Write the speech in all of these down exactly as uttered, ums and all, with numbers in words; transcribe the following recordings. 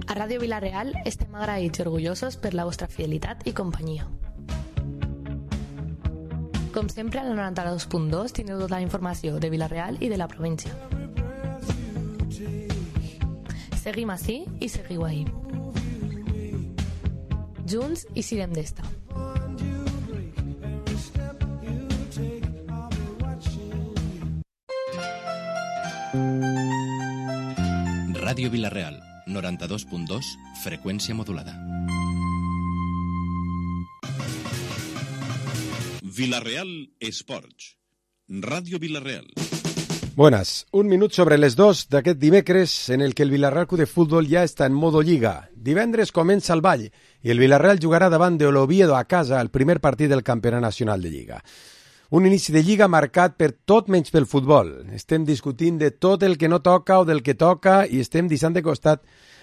A Ràdio Vila-real estem agraïts i orgullosos per la vostra fidelitat i companyia. Com sempre, al noranta-dos punt dos tindreu tota la informació de Vila-real i de la província. Seguim ací i seguiu ahí. Junts i sirem d'esta. Ràdio Vila-real, noranta-dos punt dos, freqüència modulada. Vila-real Esports. Ràdio Vila-real. Buenas, un minut sobre les dos d'aquest dimecres en el que el Vila-real Club de Futbol ja està en modo Lliga. Divendres comença el ball i el Vila-real jugarà davant de l'Oviedo a casa el primer partit del Campionat Nacional de Lliga. Un inici de Lliga marcat per tot menys pel futbol. Estem discutint de tot el que no toca o del que toca i estem deixant de costat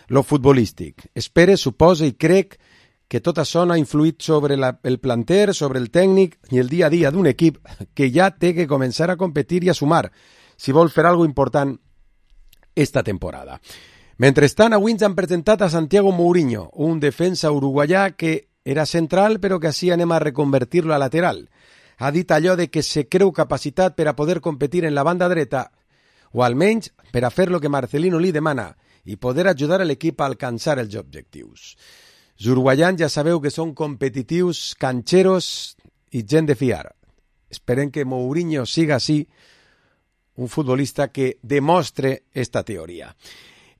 lo futbolístic. Espere, suposa i crec que tot això no ha influït sobre la, el planter, sobre el tècnic i el dia a dia d'un equip que ja té que començar a competir i a sumar si vol fer alguna important esta temporada. Mentrestant, avui ens han presentat a Santiago Mourinho, un defensa uruguaià que era central però que així anem a reconvertir-lo a lateral. Ha dit allò de que se creu capacitat per a poder competir en la banda dreta o almenys per a fer lo que Marcelino li demana i poder ajudar a l'equip a alcançar els objectius. Els uruguaians ja sabeu que són competitius, cancheros i gent de fiar. Esperem que Mourinho siga així, un futbolista que demostre esta teoria.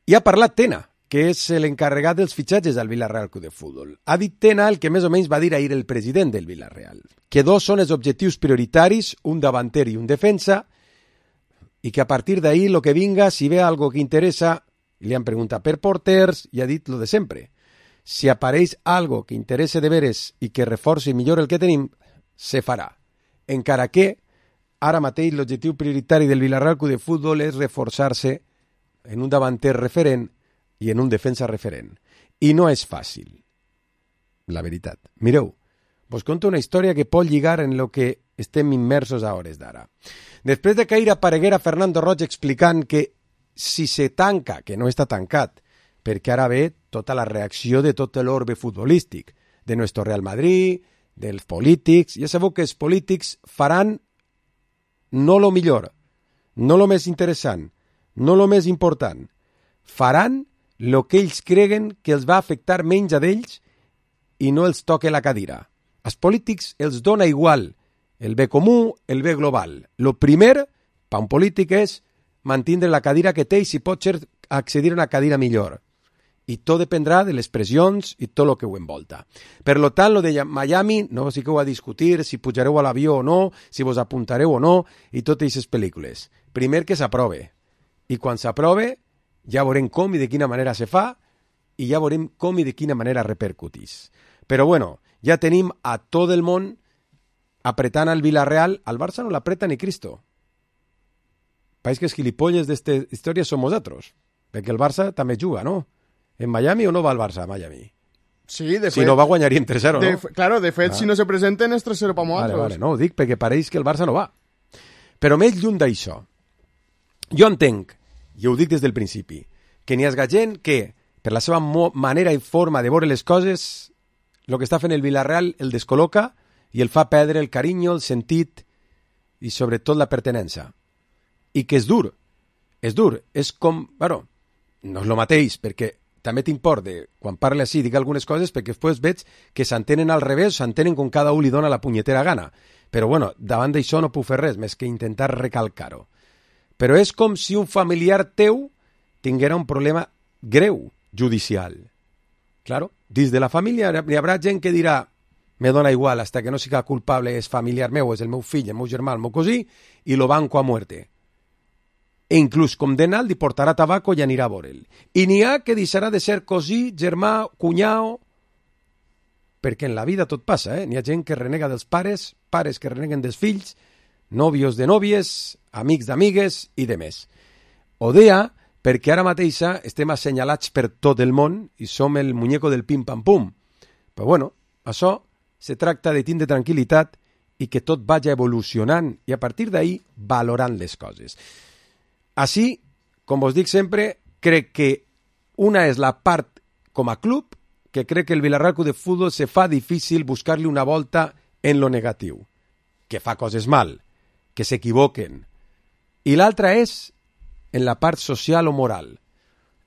I ha parlat Tena, que és l'encarregat dels fitxatges del Vila-real Club de Futbol. Ha dit Tena el que més o menys va dir ahir el president del Vila-real, que dos són els objectius prioritaris, un davanter i un defensa, i que a partir d'ahir lo que vinga, si ve algo que interessa, li han preguntat per porters i ha dit lo de sempre. Si apareix algo que interessa de veres i que reforci millor el que tenim, se farà. Encara que ara mateix l'objectiu prioritari del Vila-real Club de Futbol és reforçar-se en un davanter referent i en un defensa referent. I no és fàcil, la veritat. Mireu, vos conto una història que pot lligar en lo que estem immersos a hores d'ara. Després de que ahir apareguera Fernando Roig explicant que si se tanca, que no està tancat, perquè ara ve tota la reacció de tot l'orbe futbolístic, de nuestro Real Madrid, dels polítics. Ja sabeu que els polítics faran no lo millor, no lo més interessant, no lo més important. Faran lo que ells creguen que els va afectar menys a d'ells i no els toque la cadira. Als polítics els dona igual el bé comú, el bé global. Lo primer, per un polític, és mantindre la cadira que té i si pot ser accedir a una cadira millor. I tot dependrà de les pressions i tot el que ho envolta. Per lo tant, lo de Miami, no us fiqueu a discutir si pujareu a l'avió o no, si vos apuntareu o no, i totes aquestes pel·lícules. Primer que s'aprove. I quan s'aprove, ja veurem com i de quina manera se fa, i ja veurem com i de quina manera repercutís. Però bueno, ja tenim a tot el món apretant al Vila-real. Al Barça no l'apreta ni Cristo. Pareix que els gilipolles d'esta història som nosaltres, perquè el Barça també juga, no? ¿En Miami o no va al Barça a Miami? Sí, de fet... Si no va, guanyaríem tres cero, de, no? Claro, de fet, ah. si no se presenten és tres cero per nosaltres. Vale, vale, no, ho dic perquè pareix que el Barça no va. Però més lluny d'això, jo entenc, i ho dic des del principi, que n'hi ha gent que, per la seva manera i forma de veure les coses, el que està fent el Vila-real el descol·loca i el fa perdre el carinyo, el sentit i sobretot la pertenença. I que és dur, és dur, és com... Bueno, no és el mateix, perquè també tinc por de, quan parle així, dic algunes coses, perquè després veig que s'entenen al revés, s'entenen com cada un li dona la punyetera gana. Però, bueno, davant d'això no puc fer res, més que intentar recalcar-ho. Però és com si un familiar teu tinguera un problema greu judicial. Claro, dins de la família hi haurà gent que dirà me dona igual, hasta que no siga culpable, és familiar meu, és el meu fill, el meu germà, el meu cosí, i lo banco a muerte. E inclús condemnat li portarà tabaco i anirà a veure'l. I n'hi ha que deixarà de ser cosí, germà, cunyau, perquè en la vida tot passa, eh? N'hi ha gent que renega dels pares, pares que reneguen dels fills, nòvios de nòvies, amics d'amigues i de més. O deia, perquè ara mateixa estem assenyalats per tot el món i som el muñeco del pim-pam-pum. Però bueno, això se tracta de tindre tranquil·litat i que tot vagi evolucionant i a partir d'ahir valorant les coses. Així, com vos dic sempre, crec que una és la part com a club, que crec que el Villarreal Club de Futbol se fa difícil buscar-li una volta en lo negatiu, que fa coses mal, que s'equivoquen. I l'altra és en la part social o moral.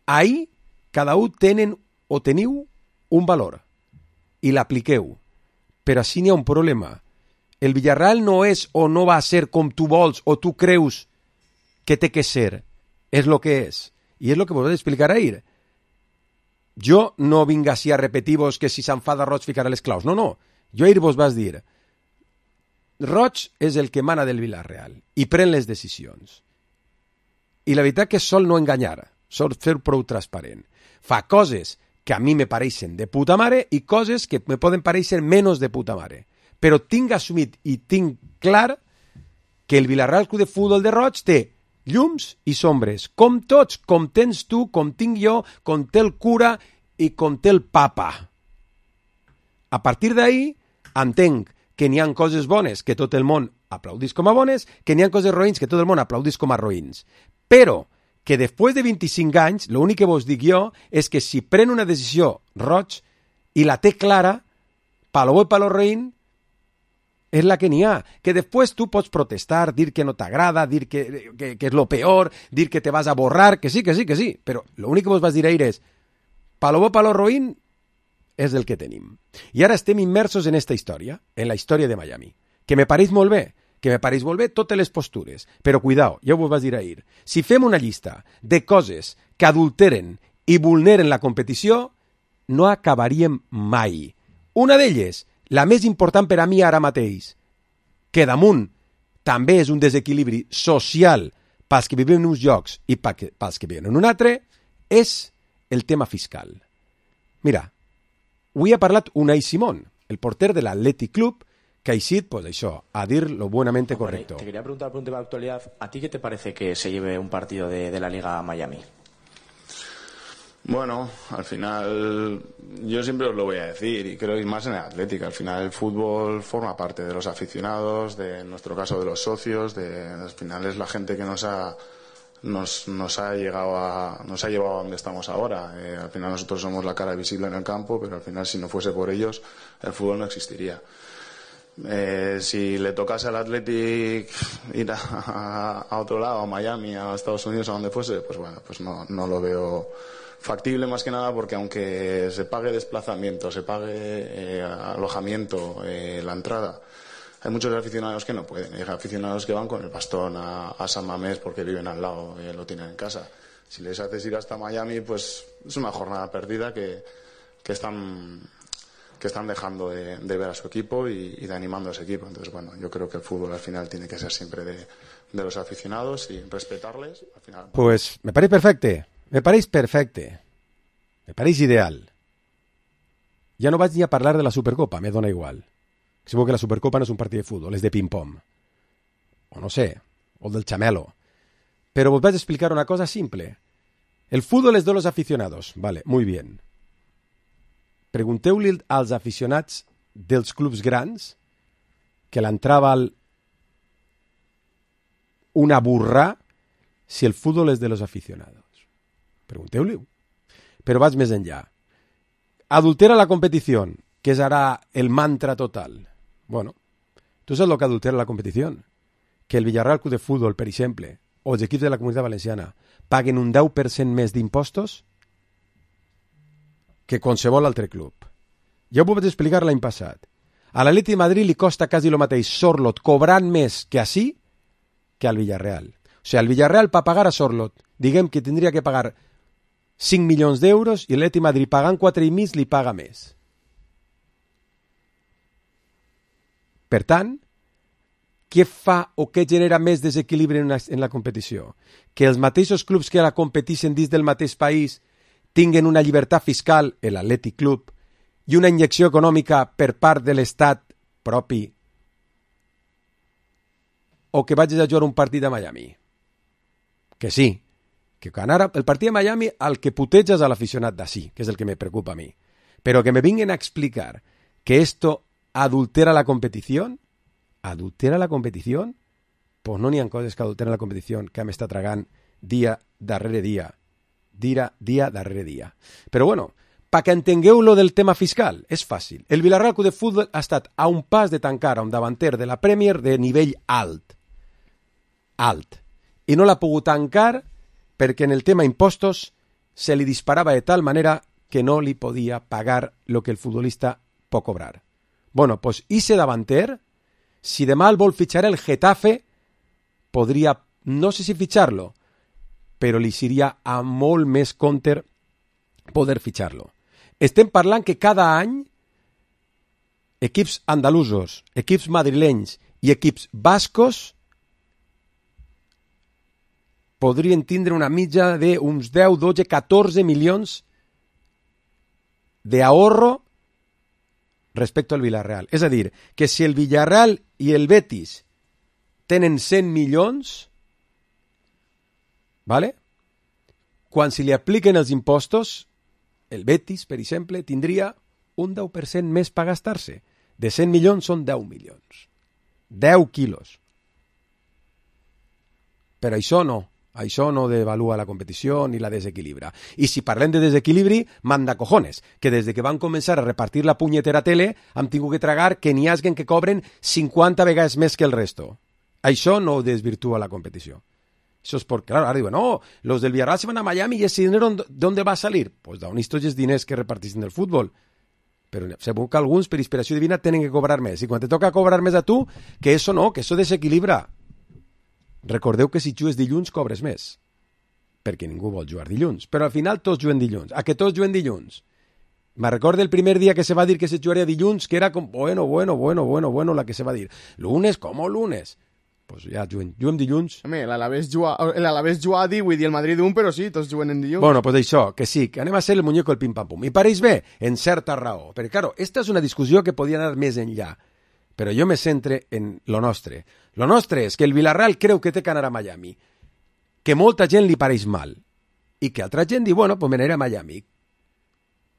Ahí, cada un tenen o teniu un valor i l'apliqueu. Però així n'hi ha un problema. El Villarreal no és o no va a ser com tu vols o tu creus que té que ser. És lo que és. I és lo que vos vaig explicar ahir. Jo no vinc així a repetir-vos que si s'enfada Roig ficarà les claus. No, no. Jo ahir vos vas dir Roig és el que mana del Villarreal i pren les decisions. I la veritat que sol no enganyar, sol fer prou transparent. Fa coses que a mi me pareixen de puta mare i coses que me poden pareixer menys de puta mare. Però tinc assumit i tinc clar que el Villarreal Club de Futbol de Roig té llums i sombres, com tots, com tens tu, com tinc jo, com té el cura i com té el papa. A partir d'ahí, entenc que n'hi ha coses bones que tot el món aplaudís com a bones, que n'hi ha coses roïns que tot el món aplaudís com a roïns. Però que després de vint-i-cinc anys, l'únic que vos dic jo és que si pren una decisió Roig i la té clara, palo bo i palo roïn, és la que n'hi ha. Que després tu pots protestar, dir que no t'agrada, dir que, que, que és lo peor, dir que te vas a borrar, que sí, que sí, que sí. Però l'únic que vos vas dir ahir és palo bo, palo roïn, és el que tenim. I ara estem immersos en esta història, en la història de Miami, que me pareix molt bé, que me pareix molt bé totes les postures, però cuidao, ja ho vas dir ahir, si fem una llista de coses que adulteren i vulneren la competició, no acabaríem mai. Una d'elles, la més important per a mi ara mateix, que damunt també és un desequilibri social pels que vivim en uns llocs i pels que vivim en un altre, és el tema fiscal. Mira, avui ha parlat Unai Simón, el porter de l'Athletic Club, que ha eixit, pues això, a dir lo buenamente correcto. Te quería preguntar por un tema de actualidad. ¿A ti qué te parece que se lleve un partido de, de la Liga a Miami? Bueno, al final yo siempre os lo voy a decir y creo que más en el Atlético. Al final el fútbol forma parte de los aficionados, de en nuestro caso de los socios, de al final es la gente que nos ha nos, nos ha llegado a nos ha llevado a donde estamos ahora. Eh, al final nosotros somos la cara visible en el campo, pero al final si no fuese por ellos el fútbol no existiría. Eh, si le tocase al Athletic ir a, a otro lado, a Miami, a Estados Unidos, a donde fuese, pues bueno, pues no, no lo veo factible, más que nada porque aunque se pague desplazamiento, se pague eh, alojamiento, eh, la entrada, hay muchos aficionados que no pueden. Hay aficionados que van con el bastón a, a San Mamés porque viven al lado y lo tienen en casa. Si les haces ir hasta Miami, pues es una jornada perdida que, que están que están dejando de, de ver a su equipo y, y de animando a ese equipo. Entonces, bueno, yo creo que el fútbol al final tiene que ser siempre de, de los aficionados y respetarles. Al final... Pues me pareix perfecte, me pareix perfecte, me pareix ideal. Ja no vaig ni a parlar de la Supercopa, me dona igual. Segur que la Supercopa no és un partit de futbol, és de ping-pong. O no sé, o del chamelo. Pero vos vaig a explicar una cosa simple. El fútbol és de los aficionados, vale, muy bien. Pregunteu-li als aficionats dels clubs grans que l'entrava una burra si el fútbol és de los aficionados. Pregunteu-li-ho. Però vaig més enllà. Adultera la competició, que és ara el mantra total. Bueno, tu saps el que adultera la competició? Que el Villarreal Club de Futbol, per exemple, o els equips de la Comunitat Valenciana paguen un deu per cent més d'impostos que qualsevol altre club. Ja ho vaig explicar l'any passat. A l'Atleti de Madrid li costa quasi el mateix Sorlot cobrant més que així que al Villarreal. O sigui, el Villarreal per pagar a Sorlot, diguem que tindria que pagar cinc milions d'euros i l'Atleti de Madrid pagant quatre i mig li paga més. Per tant, què fa o què genera més desequilibri en, una, en la competició? Que els mateixos clubs que la competeixen dins del mateix país tinguen una llibertat fiscal, l'Athletic Club, i una injecció econòmica per part de l'Estat propi, o que vagis a jugar un partit a Miami. Que sí, que quan ara el partit de Miami el que puteges a l'aficionat d'ací, que és el que me preocupa a mi, però que me vinguen a explicar que esto adultera la competició, adultera la competició, pues no n'hi ha coses que adulteren la competició que m'està tragant dia darrere dia, dia, dia darrere dia. Però bueno, perquè entengueu lo del tema fiscal, és fàcil. El Villarreal Club de Futbol ha estat a un pas de tancar a un davanter de la Premier de nivell alt. Alt. I no l'ha pogut tancar perquè en el tema impostos se li disparava de tal manera que no li podia pagar lo que el futbolista pot cobrar. Bueno, pues ese davanter, si demà el vol fitxar el Getafe, podria, no sé si fitxar-lo, però li seria a molt més compte poder fitxar-lo. Estem parlant que cada any equips andalusos, equips madrilenys i equips bascos podrien tindre una mitja d'uns deu, dotze, catorze milions d'ahorro respecte al Villarreal. És a dir, que si el Villarreal i el Betis tenen cent milions, ¿vale? Quan si li apliquen els impostos, el Betis, per exemple, tindria un deu per cent més per gastar-se. De cent milions són deu milions. deu quilos. Però això no. Això no devalua la competició ni la desequilibra. I si parlem de desequilibri, manda cojones, que des de que van començar a repartir la punyetera tele hem tingut que tragar que n'hi haguen que cobren cinquanta vegades més que el resto. Això no desvirtúa la competició. Eso es porque, claro, ahora digo, no, los del Villarreal se van a Miami y ese dinero, ¿de dónde va a salir? Pues d'on estos els diners que reparteixen del futbol. Però segur que alguns, per inspiració divina, tenen que cobrar més. I quan te toca cobrar més a tu, que eso no, que eso desequilibra. Recordeu que si jugues dilluns cobres més, perquè ningú vol jugar dilluns, però al final tots juguen dilluns. A que tots juguen dilluns? Me recordo el primer dia que se va dir que se jugaria dilluns, que era com, bueno, bueno, bueno, bueno, bueno, la que se va dir. Lunes, com lunes? Pues ja juguem, juguem dilluns. Home, l'Alavés juga, l'Alavés juga a divuit i el Madrid un, però sí, tots juguen en dilluns. Bueno, pues això, que sí, que anem a ser el muñeco del pim-pam-pum. I pareix bé, en certa raó. Perquè, claro, esta és una discussió que podia anar més enllà. Però jo me centre en lo nostre. Lo nostre és que el Villarreal creu que té que anar a Miami, que molta gent li pareix mal, i que altra gent diu, bueno, pues me n'aniré a Miami.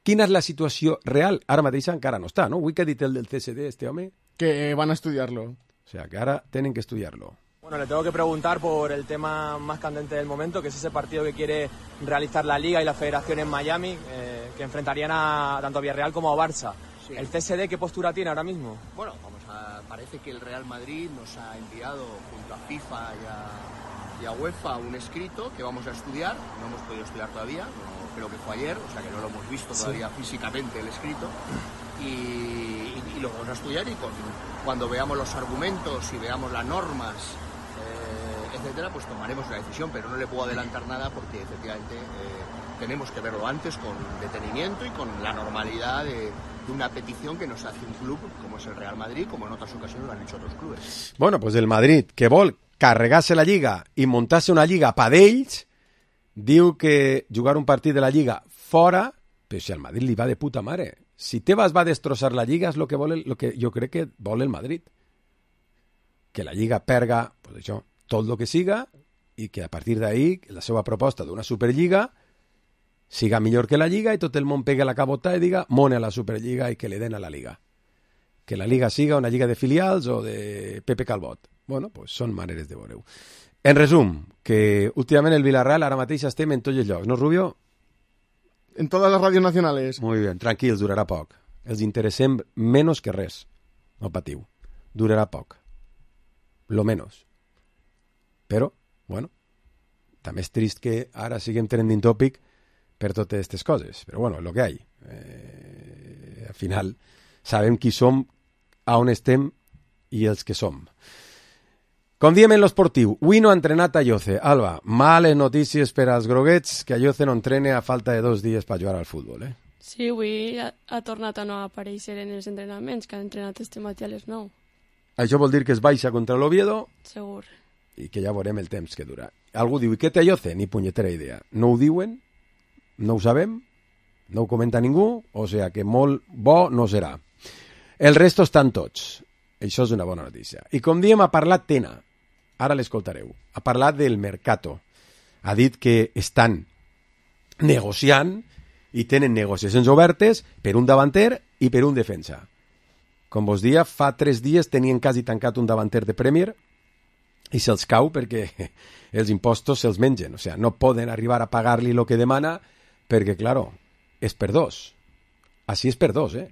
Quina és la situació real? Ara mateix encara no està, no? Avui que ha dit el del C S D, este home? Que van a estudiarlo. O sea, que ahora tienen que estudiarlo. Bueno, le tengo que preguntar por el tema más candente del momento, que es ese partido que quiere realizar la Liga y la Federación en Miami, eh, que enfrentarían a tanto a Villarreal como a Barça. Sí. ¿El C S D qué postura tiene ahora mismo? Bueno, vamos a, parece que el Real Madrid nos ha enviado junto a FIFA y a, y a UEFA un escrito que vamos a estudiar. No hemos podido estudiar todavía, no, creo que fue ayer, o sea que no lo hemos visto todavía sí. físicamente el escrito. Y, y, y lo vamos a estudiar y con, cuando veamos los argumentos y veamos las normas, eh, etcétera, pues tomaremos una decisión, pero no le puedo adelantar nada porque efectivamente eh, tenemos que verlo antes con detenimiento y con la normalidad de, de una petición que nos hace un club como es el Real Madrid, como en otras ocasiones lo han hecho otros clubes. Bueno, pues el Madrid, que vol carregar-se la Lliga i muntar-se una Lliga pa d'ells, diu que jugar un partit de la Lliga fora, però si al Madrid li va de puta mare. Si Tebas va a destrozar la Lliga és lo que vol el, lo que jo crec que vol el Madrid. Que la Lliga perga, pues això, tot el que siga i que a partir d'ahí la seva proposta d'una Superliga siga millor que la Lliga i tot el món pegue la cabota i diga mone a la Superliga i que le den a la Liga. Que la Liga siga una Lliga de filials o de Pepe Calbot. Bueno, pues són maneres de veure-ho. En resum, que últimament el Villarreal ara mateix estem en tots els llocs, no, Rubio? En todas las radios nacionales. Muy bien, tranquils, durarà poc. Els interessem menys que res. No patiu. Durarà poc. Lo menos. Però, bueno, també és trist que ara siguem trending topic per totes aquestes coses. Però bueno, és el que hi ha. Eh, al final, sabem qui som, a on estem i els que som. Com diem en l'esportiu, avui no ha entrenat Ayoce. Alba, males notícies per als groguets, que Ayoce no entrena a falta de dos dies per jugar al futbol, eh? Sí, avui ha, ha tornat a no aparèixer en els entrenaments, que ha entrenat este matí a les nou. Això vol dir que es baixa contra l'Oviedo? Segur. I que ja veurem el temps que dura. Algú diu, i què té Ayoce? Ni punyetera idea. No ho diuen? No ho sabem? No ho comenta ningú? O sigui que molt bo no serà. El resto estan tots. Això és una bona notícia. I com diem, ha parlat Tena. Ara l'escoltareu. Ha parlat del mercato. Ha dit que estan negociant i tenen negociacions obertes per un davanter i per un defensa. Com vos dia, fa tres dies tenien quasi tancat un davanter de Premier i se'ls cau perquè els impostos se'ls mengen. O sigui, no poden arribar a pagar-li el que demana perquè, claro, és per dos. Així és per dos, eh?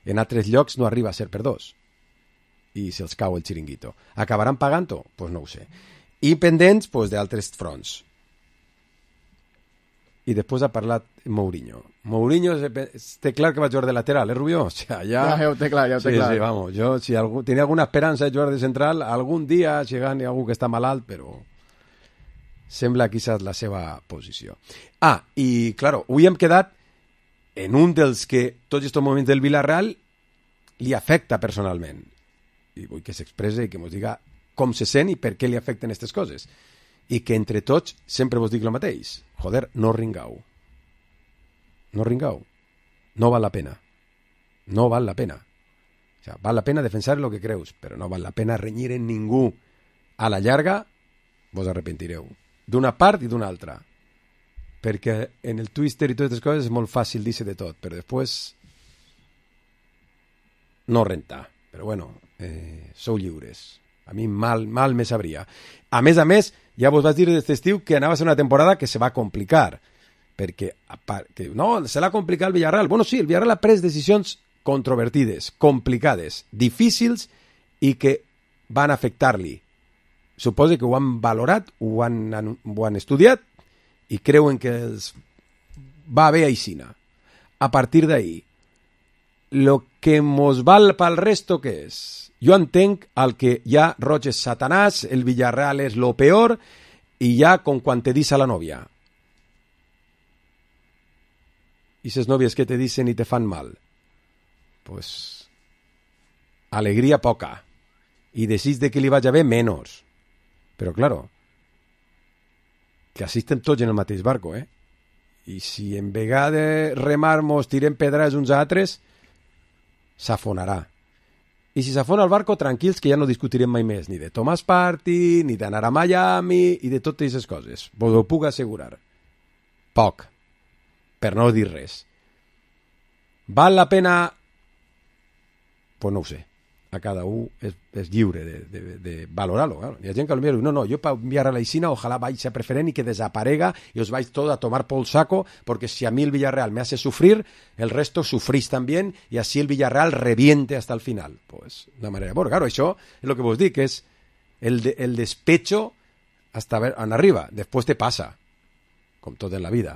En altres llocs no arriba a ser per dos. I se'ls cau el xiringuito. Acabaran pagant-ho? Doncs pues no ho sé. I pendents pues, d'altres fronts. I després ha parlat Mourinho. Mourinho té clar que va jugar de lateral, eh, Rubió? O sea, ja... ja ho té clar, ja ho té sí, clar. Sí, vamos, jo si algú, tenia alguna esperança de jugar de central, algun dia si gani algú que està malalt, però sembla que aquesta és la seva posició. Ah, i, claro, avui hem quedat en un dels que tots aquests moments del Villarreal li afecta personalment. I vull que s'expresse i que ens diga com se sent i per què li afecten aquestes coses. I que entre tots sempre vos dic el mateix. Joder, no ringau. No ringau. No val la pena. No val la pena. O sea, val la pena defensar lo que creus, però no val la pena renyir en ningú. A la llarga vos arrepentireu. D'una part i d'una altra. Perquè en el Twitter i totes aquestes coses és molt fàcil dir-se de tot, però després no renta. Però bueno, eh, sou lliures. A mi mal, mal me sabria. A més a més, ja vos vaig dir d'aquest estiu que anava a ser una temporada que se va complicar. Perquè, que, no, se l'ha complicat el Villarreal. Bueno, sí, el Villarreal ha pres decisions controvertides, complicades, difícils i que van afectar-li. Suposo que ho han valorat, ho han, ho han estudiat i creuen que els va bé aixina. A partir d'ahí, lo que mos val pel resto, què és? Jo entenc el que ja Roig és Satanàs, el Villarreal és lo peor, i ja com quan te dice a la novia. I ses novies que te dicen i te fan mal. Pues, alegria poca. I desig de que li vagi bé, menys. Però, claro, que així estem tots en el mateix barco, eh? I si en vegada de remar-mos tirem pedres uns a altres, s'afonarà. I si s'afona el barco, tranquils, que ja no discutirem mai més ni de Thomas Partey, ni d'anar a Miami, i de totes aquestes coses. Vos ho puc assegurar. Poc. Per no dir res. Val la pena? Pues no ho sé. A cada un és, és lliure de, de, de valorar-lo. Claro. Hi ha gent que potser diu, no, no, jo per enviar a la Isina ojalá vaya a preferent y que desaparega y os vais todos a tomar por el saco, porque si a mí el Villarreal me hace sufrir, el resto sufrís también y así el Villarreal reviente hasta el final. Pues, de manera... Bueno, claro, això és el que vos dic, és el, de, el despecho hasta ver en arriba. Després te passa, com tot en la vida.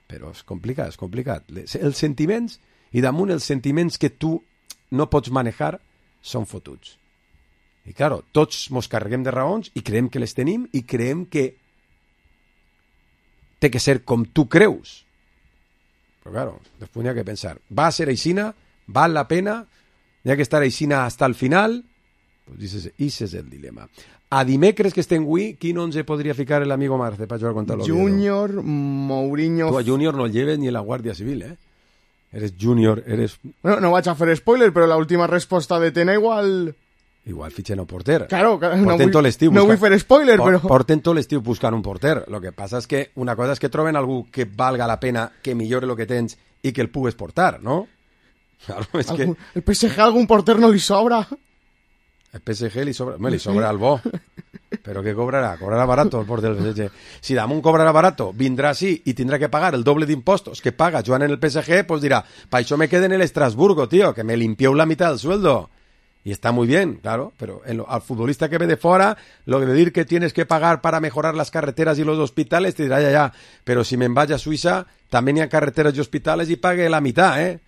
Però és complicat, és complicat. Els sentiments, i damunt els sentiments que tu no pots manejar, són fotuts. I, claro, tots mos carreguem de raons i creiem que les tenim i creiem que té que ser com tu creus. Però, claro, després n'hi ha que pensar. Va a ser aixina? Val la pena? N'hi ha que estar aixina hasta el final? Pues ese és el dilema. A dimecres que estem avui, quin onze podria ficar l'amigo Marce para jugar contra l'Oviedo? Junior, Mourinho... Tu a Junior no el lleves ni la Guàrdia Civil, eh? Eres junior, eres... Bueno, no vaig a fer spoiler, però l'última resposta de Tena igual... Igual fitxen un porter. Claro, porten no, vull, tot l'estiu no buscant... vull fer spoiler, però... Porten tot l'estiu buscant un porter. Lo que passa és que una cosa és que troben algú que valga la pena, que millore el que tens i que el pugues portar, no? Claro, és que... El P S G a algun porter no li sobra. El P S G li sobra... Me li sobra al bo. Però què cobrarà? Cobrarà barato el porter del P S G. Si damunt cobrarà barato, vindrà així i tindrà que pagar el doble d'impostos que paga Joan en el P S G, pues dirà, pa això me quede en el Estrasburgo, tío, que me limpió la mitad del sueldo. Y está muy bien, claro, pero en lo, al futbolista que ve de fuera, lo de decir que tienes que pagar para mejorar las carreteras y los hospitales, te dirá, ya, ya, pero si me vaya a Suiza, también hay carreteras y hospitales y pague la mitad, ¿eh?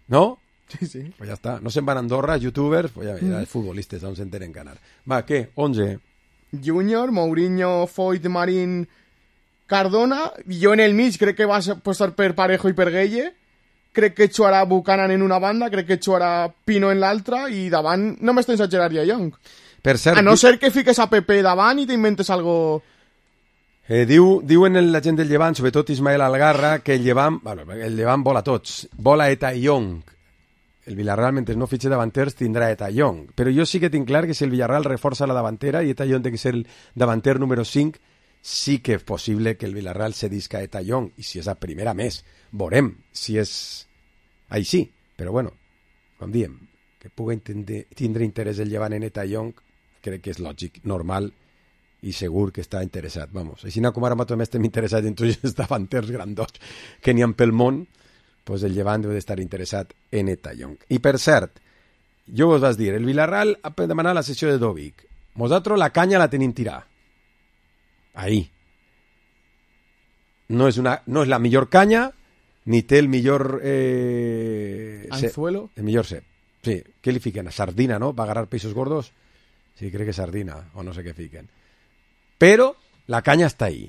¿No? Sí, sí. Pues ya está. No se van a Andorra, youtubers, pues ya, ya, mm. futbolistas, aún se enteren ganar. Va, ¿qué? once. Junior, Mourinho, Foyt, Marín, Cardona. Jo en el mig crec que va a apostar per Parejo i per Gueye. Crec que jugarà Buchanan en una banda, crec que jugarà Pino en l'altra i davant només tens a Gerard i a Young. Per cert, a no ser que fiques a Pepe davant i t'inventes algo... Eh, diu, diuen la gent del Llevant, sobretot Ismael Algarra, que el Llevant, bueno, el Llevant vola tots. Vola Eta i Young. El Villarreal, mentre no fitxe davanters, tindrà Eta i Young. Però jo sí que tinc clar que si el Villarreal reforça la davantera i Eta i Young té que ser el davanter número cinc, sí que és possible que el Villarreal cedisca a Eta i Young. I si és a primera més, veurem si és així. Però bueno, com diem, que pugui tindre interès el Llevant en Eta i Young, crec que és lògic, normal i segur que està interessat. Vamos, així com ara també estem interessats en tots els davanters grandots que n'hi ha pel món, pues el Llevant deu d'estar interessat en Eta Young. I per cert, jo vos vas dir, el Villarreal ha demanat la sessió de Dovic. Nosaltres la canya la tenim tirada. Ahí. No és, una, no és la millor canya, ni té el millor... Eh, Anzuelo. El millor cep. Sí, què li fiquen? Sardina, no? ¿Va a agarrar peixos gordos? Sí, crec que sardina, o no sé què fiquen. Però la canya està ahí.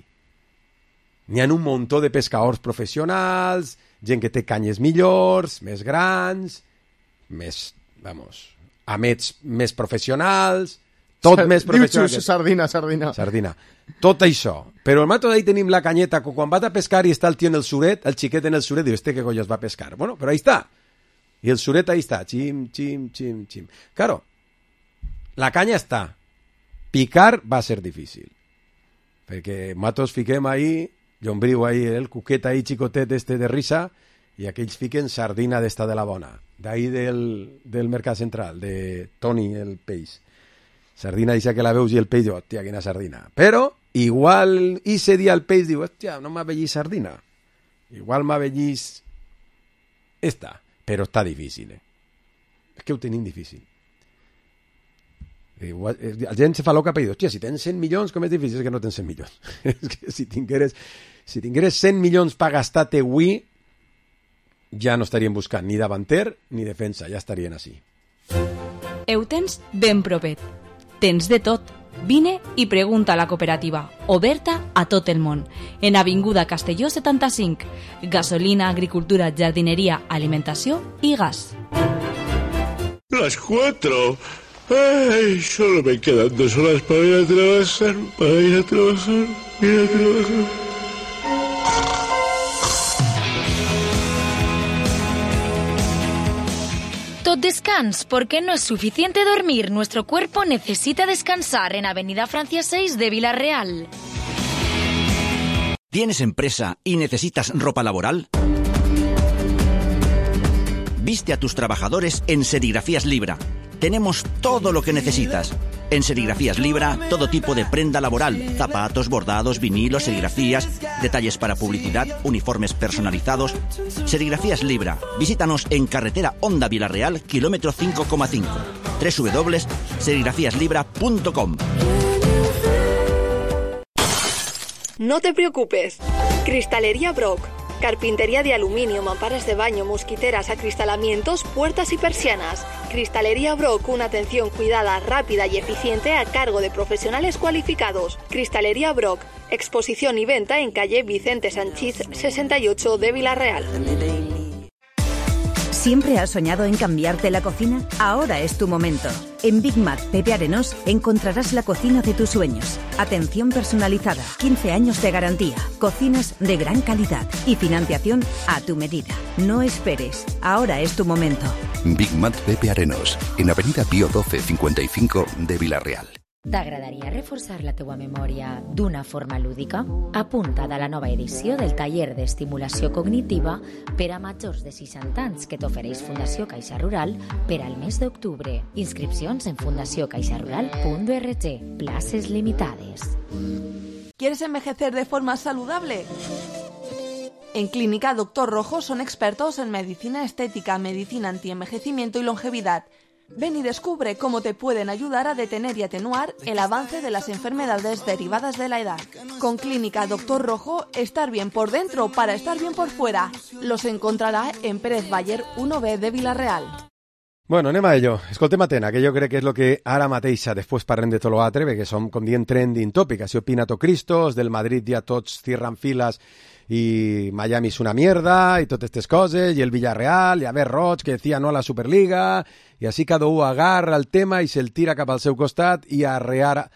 N'hi ha un muntó de pescadors professionals, gent que té canyes millors, més grans, més, vamos, amets més professionals, tot Sard més professional. Que... Sardina, sardina. Sardina. Tot això. Però al mato d'ahí tenim la canyeta, que quan vas a pescar i està el tio en el suret, el xiquet en el suret, diu, este que colles va a pescar. Bueno, però ahí està. I el suret ahí està, xim, xim, xim, xim. Claro, la canya està. Picar va ser difícil. Perquè matos fiquem ahí, llombriu ahí, el cuquet ahí, xicotet este de risa, i aquells fiquen sardina d'esta de la bona. D'ahí del, del Mercat Central, de Toni, el peix. Sardina dice que la veus i el peix diu, hòstia, quina sardina. Però, igual, ese dia el peix diu, hòstia, no m'ha vellís sardina. Igual m'ha vellís esta. Però està difícil, eh? És que ho tenim difícil. Igual, la gent se fa loca per dir, hòstia, si tens cent milions, com és difícil? És que no tens cent milions. És que si tingueres, si tingueres cent milions per gastar-te avui, ja no estaríem buscant ni davanter ni defensa, ja estarien així. Ho tens ben propet. Tens de tot. Vine i pregunta a la cooperativa, oberta a tot el món. En Avinguda Castelló setanta-cinc. Gasolina, agricultura, jardineria, alimentació i gas. Las cuatro. Ay, solo me quedan dos horas para ir a trabajar, para ir a trabajar, ir a trabajar. Tot descans, porque no es suficiente dormir. Nuestro cuerpo necesita descansar en Avenida Francia seis de Villarreal. ¿Tienes empresa y necesitas ropa laboral? Viste a tus trabajadores en Serigrafías Libra. Tenemos todo lo que necesitas. En Serigrafías Libra, todo tipo de prenda laboral, zapatos, bordados, vinilos, serigrafías, detalles para publicidad, uniformes personalizados. Serigrafías Libra. Visítanos en carretera Honda Villarreal, kilómetro cinco coma cinco. doble u doble u doble u punto serigrafías libra punto com. No te preocupes. Cristalería Brock. Carpintería de aluminio, mamparas de baño, mosquiteras, acristalamientos, puertas y persianas. Cristalería Brock, una atención cuidada, rápida y eficiente a cargo de profesionales cualificados. Cristalería Brock, exposición y venta en calle Vicente Sanchís sesenta y ocho de Villarreal. ¿Siempre has soñado en cambiarte la cocina? Ahora es tu momento. En Big Mac Pepe Arenós encontrarás la cocina de tus sueños. Atención personalizada, quince años de garantía, cocinas de gran calidad y financiación a tu medida. No esperes, ahora es tu momento. Big Mac Pepe Arenós, en Avenida Pío doce cincuenta y cinco de Villarreal. T'agradaria reforçar la teua memòria d'una forma lúdica? Apunta't a la nova edició del taller d'estimulació cognitiva per a majors de seixanta anys que t'ofereix Fundació Caixa Rural per al mes d'octubre. Inscripcions en fundació caixa rural punt org. Places limitades. ¿Quieres envejecer de forma saludable? En Clínica Doctor Rojo son expertos en medicina estética, medicina antienvejecimiento y longevidad. Ven y descubre cómo te pueden ayudar a detener y atenuar el avance de las enfermedades derivadas de la edad. Con Clínica Doctor Rojo, estar bien por dentro para estar bien por fuera. Los encontrarà en Pérez Baller uno B de Villarreal. Bueno, anem a ello. Escoltem Atena, que jo crec que és el que ara mateixa, després parlem de tot l'altre, perquè som, com dient, trending topic. Així opina tot Cristos, del Madrid ja tots cierran files y Miami es una mierda y todas estas cosas, y el Villarreal, y a ver Roig, que decía no a la Superliga, y así cada uno agarra el tema y se el tira cap al seu costat i a arrear a,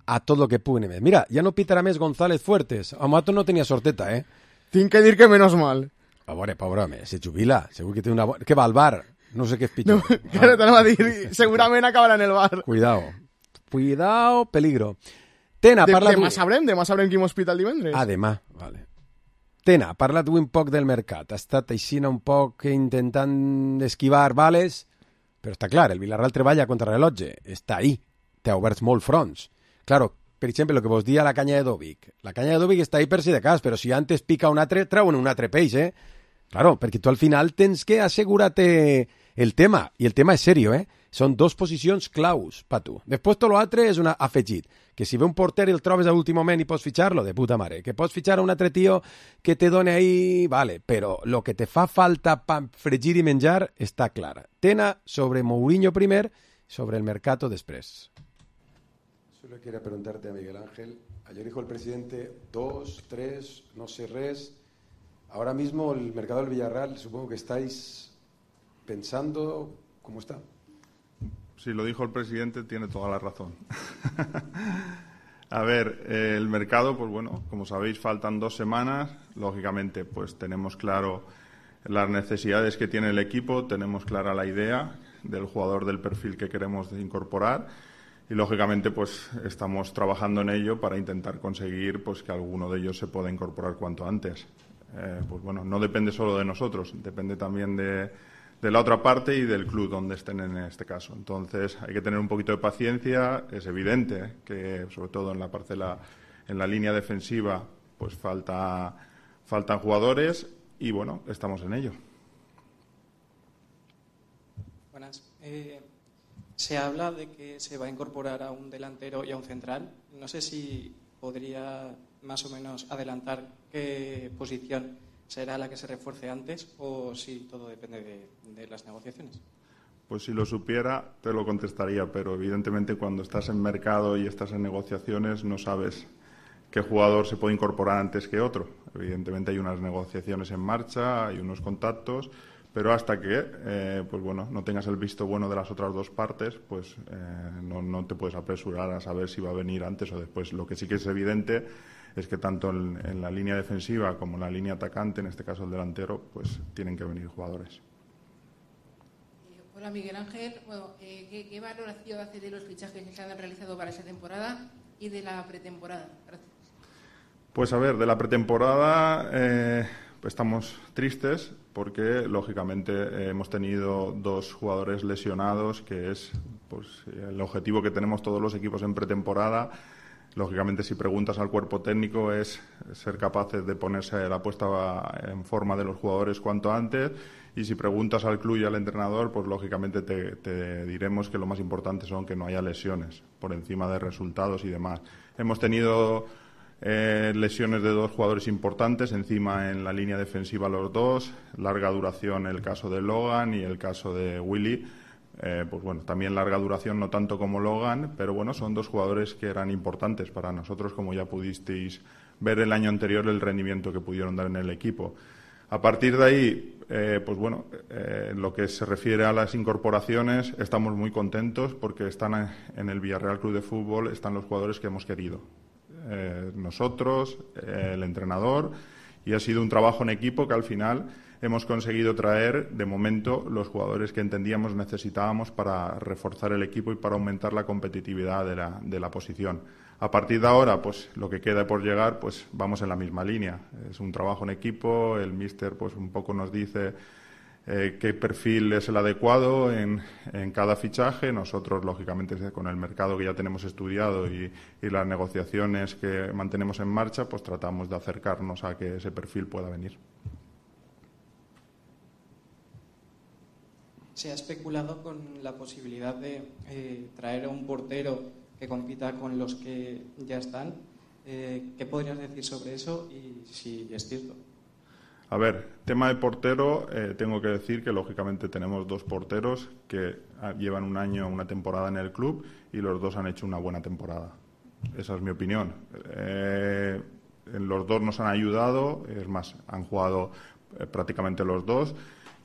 a tot lo que pugui més. Mira, ja no pitarà més González Fuertes. A Mato no tenia sorteta, eh? Tinc que dir que menos mal. A veure, pobre home, se jubila. Segur que té una... Que va al bar. No sé què és pitjor. No, que no t'anava a dir, segurament acabarà en el bar. Cuidao. Cuidao, peligro. Tena, de, parla demà tu... sabrem, demà sabrem quin hospital divendres. Ah, demà, vale. Tena, parla tu un poc del mercat. Ha estat així un poc intentant esquivar bales, però està clar, el Villarreal treballa contra rellotge. Està ahí. Té oberts molt fronts. Claro, per exemple, el que vos dia la canya de Dovic. La canya de Dovic està ahí per si de cas, però si antes pica un altre, treuen un altre peix, eh? Claro, perquè tu al final tens que assegurar-te el tema, i el tema és serio, eh? Són dos posicions claus per tu. Després tot l'altre és un afegit, que si ve un porter i el trobes a l'últim moment i pots fitxar-lo, de puta mare. Que pots fitxar a un altre tio que te doni ahí, vale, però el que te fa falta per fregir i menjar està clara. Tena sobre Mourinho primer, sobre el mercado després. Solo quiero preguntarte a Miguel Ángel. Ayer dijo el presidente dos, tres, no sé res. Ahora mismo el mercado del Villarreal, supongo que estáis pensando cómo está. Si lo dijo el presidente, tiene toda la razón. A ver, eh, el mercado, pues bueno, como sabéis, faltan dos semanas. Lógicamente, pues tenemos claro las necesidades que tiene el equipo, tenemos clara la idea del jugador del perfil que queremos incorporar y, lógicamente, pues estamos trabajando en ello para intentar conseguir pues que alguno de ellos se pueda incorporar cuanto antes. Eh, pues bueno, no depende solo de nosotros, depende también de... de la otra parte y del club donde estén en este caso. Entonces hay que tener un poquito de paciencia. Es evidente que, sobre todo en la parcela, en la línea defensiva, pues falta, faltan jugadores y bueno, estamos en ello. Buenas. Eh, se habla de que se va a incorporar a un delantero y a un central. No sé si podría más o menos adelantar qué posición será la que se refuerce antes o si todo depende de, de las negociaciones. Pues si lo supiera te lo contestaría, pero evidentemente cuando estás en mercado y estás en negociaciones no sabes qué jugador se puede incorporar antes que otro. Evidentemente hay unas negociaciones en marcha, hay unos contactos, pero hasta que eh, pues bueno, no tengas el visto bueno de las otras dos partes, pues eh, no, no te puedes apresurar a saber si va a venir antes o después. Lo que sí que es evidente es que tanto en, en la línea defensiva como en la línea atacante, en este caso el delantero, pues tienen que venir jugadores. Hola Miguel Ángel, bueno, eh, ¿qué, ¿qué valoración hace de los fichajes que se han realizado para esta temporada y de la pretemporada? Gracias. Pues a ver, de la pretemporada eh, pues estamos tristes porque lógicamente eh, hemos tenido dos jugadores lesionados, que es pues el objetivo que tenemos todos los equipos en pretemporada. Lógicamente, si preguntas al cuerpo técnico, es ser capaces de ponerse la puesta en forma de los jugadores cuanto antes. Y si preguntas al club y al entrenador, pues lógicamente te, te diremos que lo más importante son que no haya lesiones por encima de resultados y demás. Hemos tenido eh, lesiones de dos jugadores importantes, encima en la línea defensiva los dos, larga duración el caso de Logan y el caso de Willy. Eh, pues bueno, también larga duración, no tanto como Logan, pero bueno, son dos jugadores que eran importantes para nosotros, como ya pudisteis ver el año anterior el rendimiento que pudieron dar en el equipo. A partir de ahí, eh, pues bueno, eh, en lo que se refiere a las incorporaciones, estamos muy contentos porque están en el Villarreal Club de Fútbol, están los jugadores que hemos querido. Eh, nosotros, eh, el entrenador, y ha sido un trabajo en equipo que al final hemos conseguido traer, de momento, los jugadores que entendíamos necesitábamos para reforzar el equipo y para aumentar la competitividad de la, de la posición. A partir de ahora, pues lo que queda por llegar, pues vamos en la misma línea. Es un trabajo en equipo, el míster pues un poco nos dice eh, qué perfil es el adecuado en, en cada fichaje. Nosotros, lógicamente, con el mercado que ya tenemos estudiado y, y las negociaciones que mantenemos en marcha, pues tratamos de acercarnos a que ese perfil pueda venir. Se ha especulado con la posibilidad de eh, traer a un portero que compita con los que ya están. Eh, ¿Qué podrías decir sobre eso y si es cierto? A ver, tema de portero, eh, tengo que decir que lógicamente tenemos dos porteros que llevan un año, una temporada en el club y los dos han hecho una buena temporada. Esa es mi opinión. Eh, los dos nos han ayudado, es más, han jugado eh, prácticamente los dos.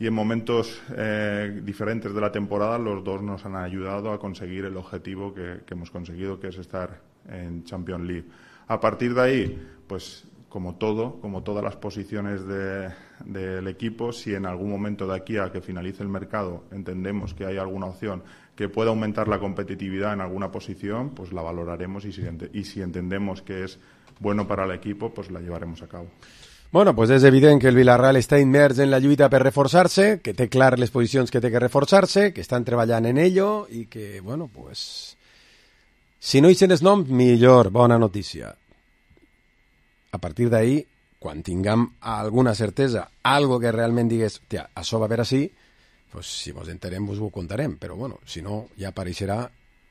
Y en momentos eh, diferentes de la temporada los dos nos han ayudado a conseguir el objetivo que, que hemos conseguido, que es estar en Champions League. A partir de ahí, pues como todo, como todas las posiciones de, del equipo, si en algún momento de aquí a que finalice el mercado entendemos que hay alguna opción que pueda aumentar la competitividad en alguna posición, pues la valoraremos y si, y si entendemos que es bueno para el equipo, pues la llevaremos a cabo. Bueno, pues és evident que el Villarreal està immers en la lluita per reforçar-se, que té clar les posicions que té que reforçar-se, que estan treballant en ello i que, bueno, pues... Si no hi sent el nom, millor, bona notícia. A partir d'ahí, quan tinguem alguna certesa, algo que realment digués, tia, això va a veure així, pues, si vos enterem vos ho contarem, però bueno, si no, ja apareixerà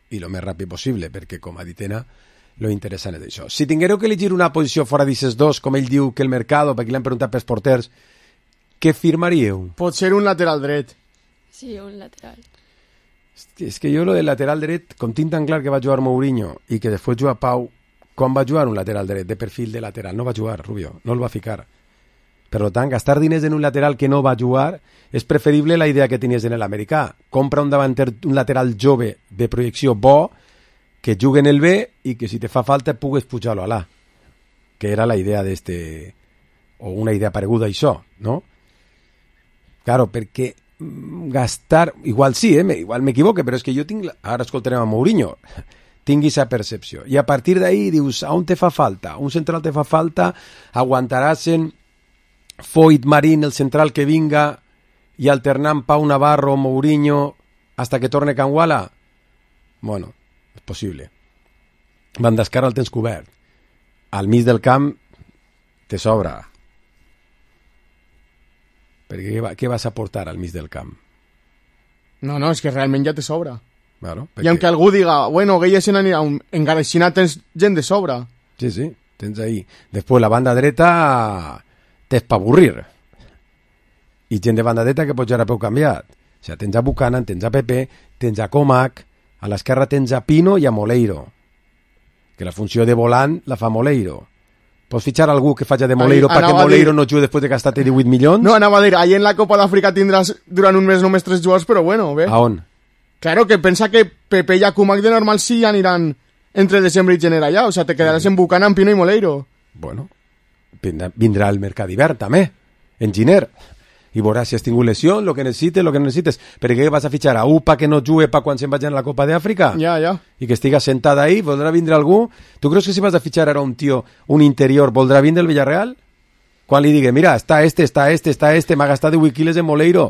i lo més ràpid possible, perquè com ha dit Ena, lo interessant és això. Si tinguéreu que elegir una posició fora d'aquests dos, com ell diu que el mercado, perquè l'han preguntat pels porters, què firmaríeu? Pot ser un lateral dret. Sí, un lateral. És que jo lo del lateral dret, com tinc tan clar que va jugar Mourinho i que després juga Pau, quan va jugar un lateral dret de perfil de lateral? No va jugar, Rubio, no el va ficar. Per tant, gastar diners en un lateral que no va jugar és preferible la idea que tenies en l'americà. Compra un davanter, un lateral jove de projecció bo, que jugui en el B i que si te fa falta pugues pujar-lo a l'A. Que era la idea d'este... o una idea pareguda a això, no? Claro, perquè gastar... Igual sí, eh? Igual m'equivoque, però és que jo tinc... Ara escoltarem a Mourinho. Tingui esa percepció. I a partir d'ahí dius, a on te fa falta? Un central te fa falta, aguantaràs en Foyt, Marín, el central que vinga, i alternant Pau Navarro, Mourinho, hasta que torne Canguala? Bueno, és possible. Van d'esquerra el tens cobert. Al mig del camp te sobra. Perquè què, va, què vas a portar al mig del camp? No, no, és que realment ja te sobra. Claro, perquè... I aunque algú diga, bueno, Gueye se n'anirà, un... encara així tens gent de sobra. Sí, sí, tens ahí. Després la banda dreta tens pa avorrir. I gent de banda dreta que pots ja peu canviat. O sigui, tens a Buchanan, tens a Pepe, tens a Comac, a l'esquerra tens a Pino i a Moleiro. Que la funció de volant la fa Moleiro. Pots fitxar algú que faci de Moleiro perquè Moleiro dir... no jugui després de gastar-te divuit milions? No, anava a dir, ahí en la Copa d'Àfrica tindràs durant un mes només tres jugadors, però bueno, bé. A on? Claro, que pensa que Pepe i Akumak de normal sí aniran entre desembre i gener allà, o sea, te quedaràs en Buchanan, Pino i Moleiro. Bueno, vindrà el mercat d'hivern també, en gener, i veuràs si has tingut lesió, lo que necessites, lo que no necessites. Perquè què vas a fitxar a Upa que no jugui pa quan se'n vagin a la Copa d'Àfrica? Ja, ja. I que estiga sentada ahí, voldrà vindre algú? Tu creus que si vas a fitxar ara un tio, un interior, voldrà vindre el Villarreal? Quan li digui, mira, està este, està este, està este, m'ha gastat divuit quilos en Moleiro.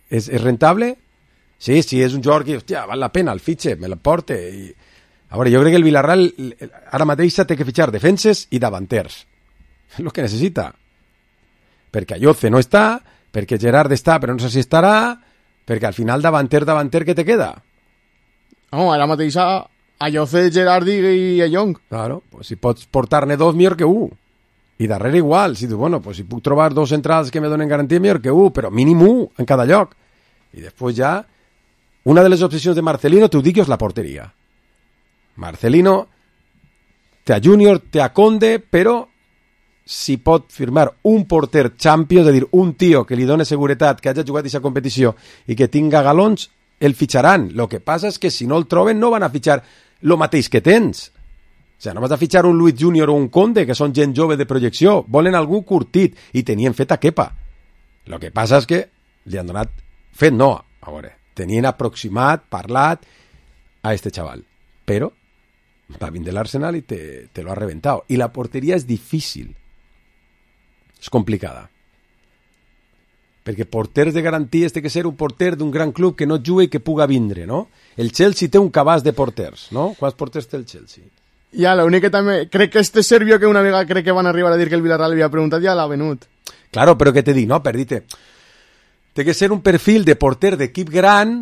És, és rentable? Sí, sí, és un jugador que, hòstia, val la pena, el fitxe, me la porte. I... A veure, jo crec que el Villarreal ara mateix té que fitxar defenses i davanters. És el que necessita. Perquè Ayoce no està, perquè Gerard està, però no sé si estarà, perquè al final davanter, davanter, què te queda? No, ara mateix a Ayoce, Gerard i a Young. Claro, pues si pots portar-ne dos, millor que un. I darrere igual, si tu, bueno, pues si puc trobar dos centrals que me donen garantia, millor que un, però mínim un en cada lloc. I després ja, una de les opcions de Marcelino, t'ho dic, és la porteria. Marcelino té a Júnior, té a Conde, però si pot firmar un porter Champions, és a dir, un tio que li doni seguretat, que hagi jugat aquesta competició i que tinga galons, el fitxaran. Lo que passa és que si no el troben no van a fitxar lo mateix que tens. O sigui, no vas a fitxar un Luis Júnior o un Conde, que són gent jove de projecció. Volen algú curtit, i tenien fet a Kepa. Lo que passa és que li han donat... Fet no, a veure, tenien aproximat, parlat a este chaval. Però va vindre l'Arsenal i te, te lo ha reventat. I la porteria és difícil. És complicada. Perquè porters de garanties té que ser un porter d'un gran club que no jugui i que puga vindre, no? El Chelsea té un cabàs de porters, no? Quants porters té el Chelsea? Ja, l'únic que també... Crec que este Servio, que una vegada crec que van arribar a dir que el Villarreal havia preguntat, ja l'ha venut. Claro, però què te dic, no? Per dir-te... Té que ser un perfil de porter d'equip gran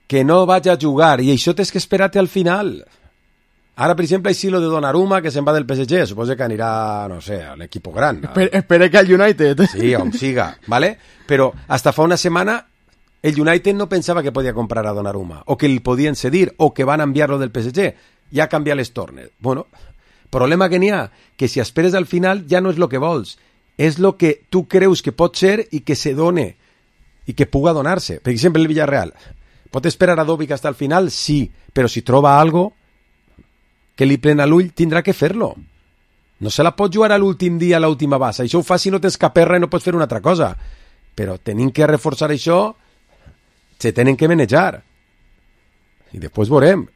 que no vagi a jugar, i això tens que esperar-te al final. Ara, per exemple, hi lo de Donnarumma, que se'n va del P S G, suposo que anirà, no sé, a l'equip gran. Espere, espere que al United... Sí, on siga, ¿vale? Però hasta fa una setmana el United no pensava que podia comprar a Donnarumma, o que li podien cedir, o que van enviar-lo del P S G. Ja canvia les tornes. Bueno, problema que n'hi ha, que si esperes al final ja no és el que vols, és el que tu creus que pot ser i que se done, i que puga donar-se. Per exemple, el Villarreal. Pot esperar a Dobic hasta el final? Sí, però si troba algo que li plena l'ull, tindrà que fer-lo. No se la pot jugar a l'últim dia, a l'última base. Això ho fa si no tens cap erra i no pots fer una altra cosa. Però tenim que reforçar això, se tenen que manejar. I després veurem.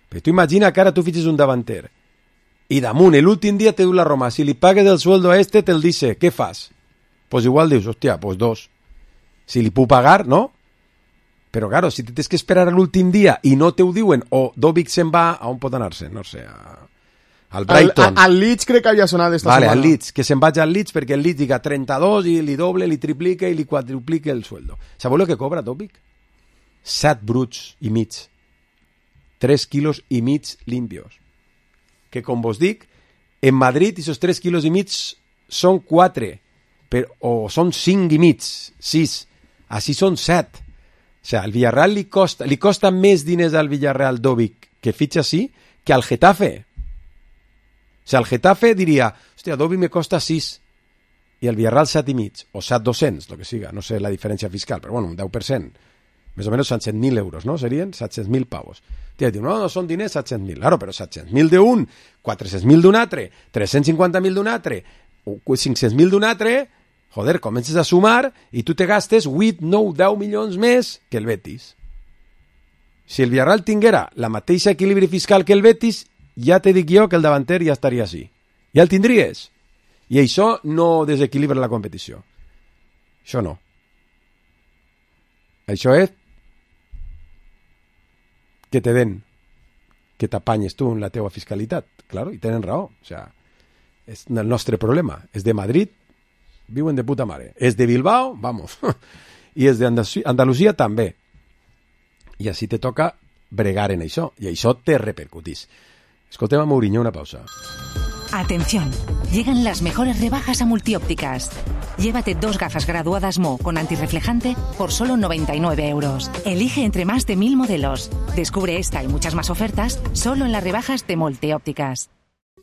Però tu imagina que ara tu fitxes un davanter i damunt, l'últim dia te diu la Roma, si li pagues el sueldo a este, te'l dice, què fas? Pues igual dius, hòstia, pues dos. Si li puc pagar, no? Però, claro, si tens que esperar a l'últim dia i no te ho diuen, o Dobic se'n va, a on pot anar-se? No sé, a, al Brighton. Al, al Leeds crec que havia sonat esta vale, setmana. al Leeds, que se'n vagi al Leeds perquè el Leeds diga trenta-dos i li doble, li triplica i li quadruplica el sueldo. Sabeu el que cobra Topic? set bruts i mig. tres quilos i mig limpios. Que com vos dic, en Madrid esos tres quilos i mig són quatre, però, o són cinc i mig, sis. Així són set. O sea, al Villarreal li costa, li costa més diners al Villarreal Dobic que fitxa així que al Getafe. O sea, el Getafe diria, hòstia, Dobic me costa sis i el Villarreal set i mig, o set dos-cents, lo que siga, no sé la diferència fiscal, però bueno, un deu per cent. Més o menys són set mil euros, no? Serien set-cents mil pavos. Tia, diu, no, no són diners, set-cents mil. Claro, però set-cents mil d'un, quatre-cents mil d'un altre, tres-cents cinquanta mil d'un altre, cinc-cents mil d'un altre, joder, comences a sumar i tu te gastes vuit, nou, deu milions més que el Betis. Si el Villarreal tinguera la mateixa equilibri fiscal que el Betis, ja te dic jo que el davanter ja estaria així. Ja el tindries. I això no desequilibra la competició. Això no. Això és que te den, que t'apanyes tu en la teua fiscalitat. Claro, i tenen raó. O sea, és el nostre problema. És de Madrid, viuen de puta mare. És de Bilbao, vamos. I és d'Andalusia també. I així te toca bregar en això. I això te repercutís. Escoltem a Mourinho, una pausa. Atención, llegan las mejores rebajas a Multiópticas. Llévate dos gafas graduadas Mo con antirreflejante por solo noventa y nueve euros. Elige entre más de mil modelos. Descubre esta y muchas más ofertas solo en las rebajas de Multiópticas.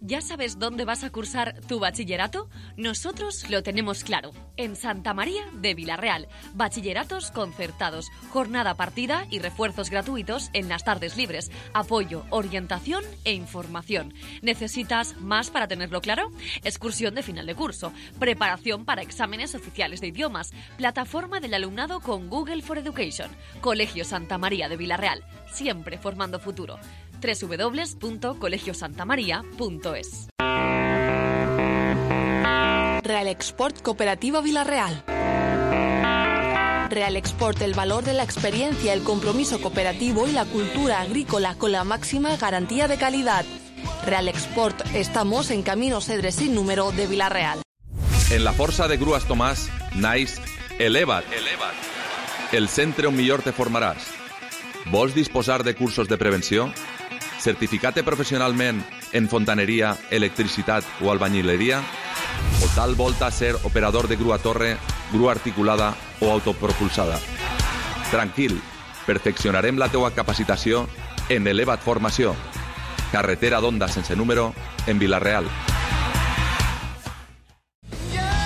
¿Ya sabes dónde vas a cursar tu bachillerato? Nosotros lo tenemos claro. En Santa María de Vilarreal. Bachilleratos concertados, jornada partida y refuerzos gratuitos en las tardes libres. Apoyo, orientación e información. ¿Necesitas más para tenerlo claro? Excursión de final de curso. Preparación para exámenes oficiales de idiomas. Plataforma del alumnado con Google for Education. Colegio Santa María de Vilarreal. Siempre formando futuro. doble u doble u doble u punto colegio santa maría punto es. Real Export Cooperativa Vilarreal. Real Export, el valor de la experiencia, el compromiso cooperativo y la cultura agrícola con la máxima garantía de calidad. Real Export, estamos en Camino Cedre sin número de Vilarreal. En la Força de Grues Tomàs, naix Eleva't. Eleva't. El centre on millor te formaràs. Vols disposar de cursos de prevenció? Certificat-te professionalment en fontaneria, electricitat o albañileria? O tal volta ser operador de grua torre, grua articulada o autopropulsada? Tranquil, perfeccionarem la teua capacitació en Eleva't Formació. Carretera d'Onda sense número en Vilarreal.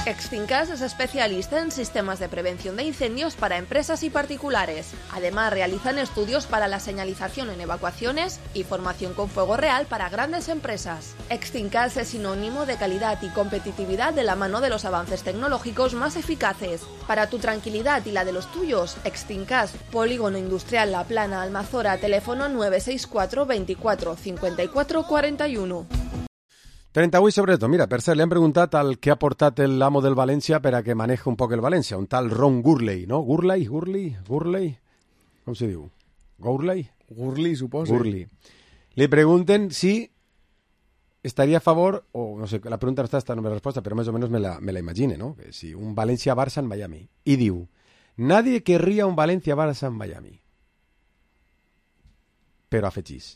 Extincas es especialista en sistemas de prevención de incendios para empresas y particulares. Además, realizan estudios para la señalización en evacuaciones y formación con fuego real para grandes empresas. Extincas es sinónimo de calidad y competitividad de la mano de los avances tecnológicos más eficaces. Para tu tranquilidad y la de los tuyos, Extincas, Polígono Industrial La Plana, Almazora, teléfono nueve seis cuatro veinticuatro cincuenta y cuatro cuarenta y uno. trenta-vuit sobre tot. Mira, per cert, li han preguntat al que ha portat l'amo del València per a que maneje un poc el València, un tal Ron Gurley, no? Gurley? Gurley? Gurley? Com se diu? Gurley? Gurley, suposo. Gurley. Li pregunten si estaria a favor, o no sé, la pregunta no està, està no me la resposta, però més o menys me la, me la imagine, no? Que si un València-Barça en Miami. I diu, nadie querría un Valencia-Barça en Miami. Pero afegís.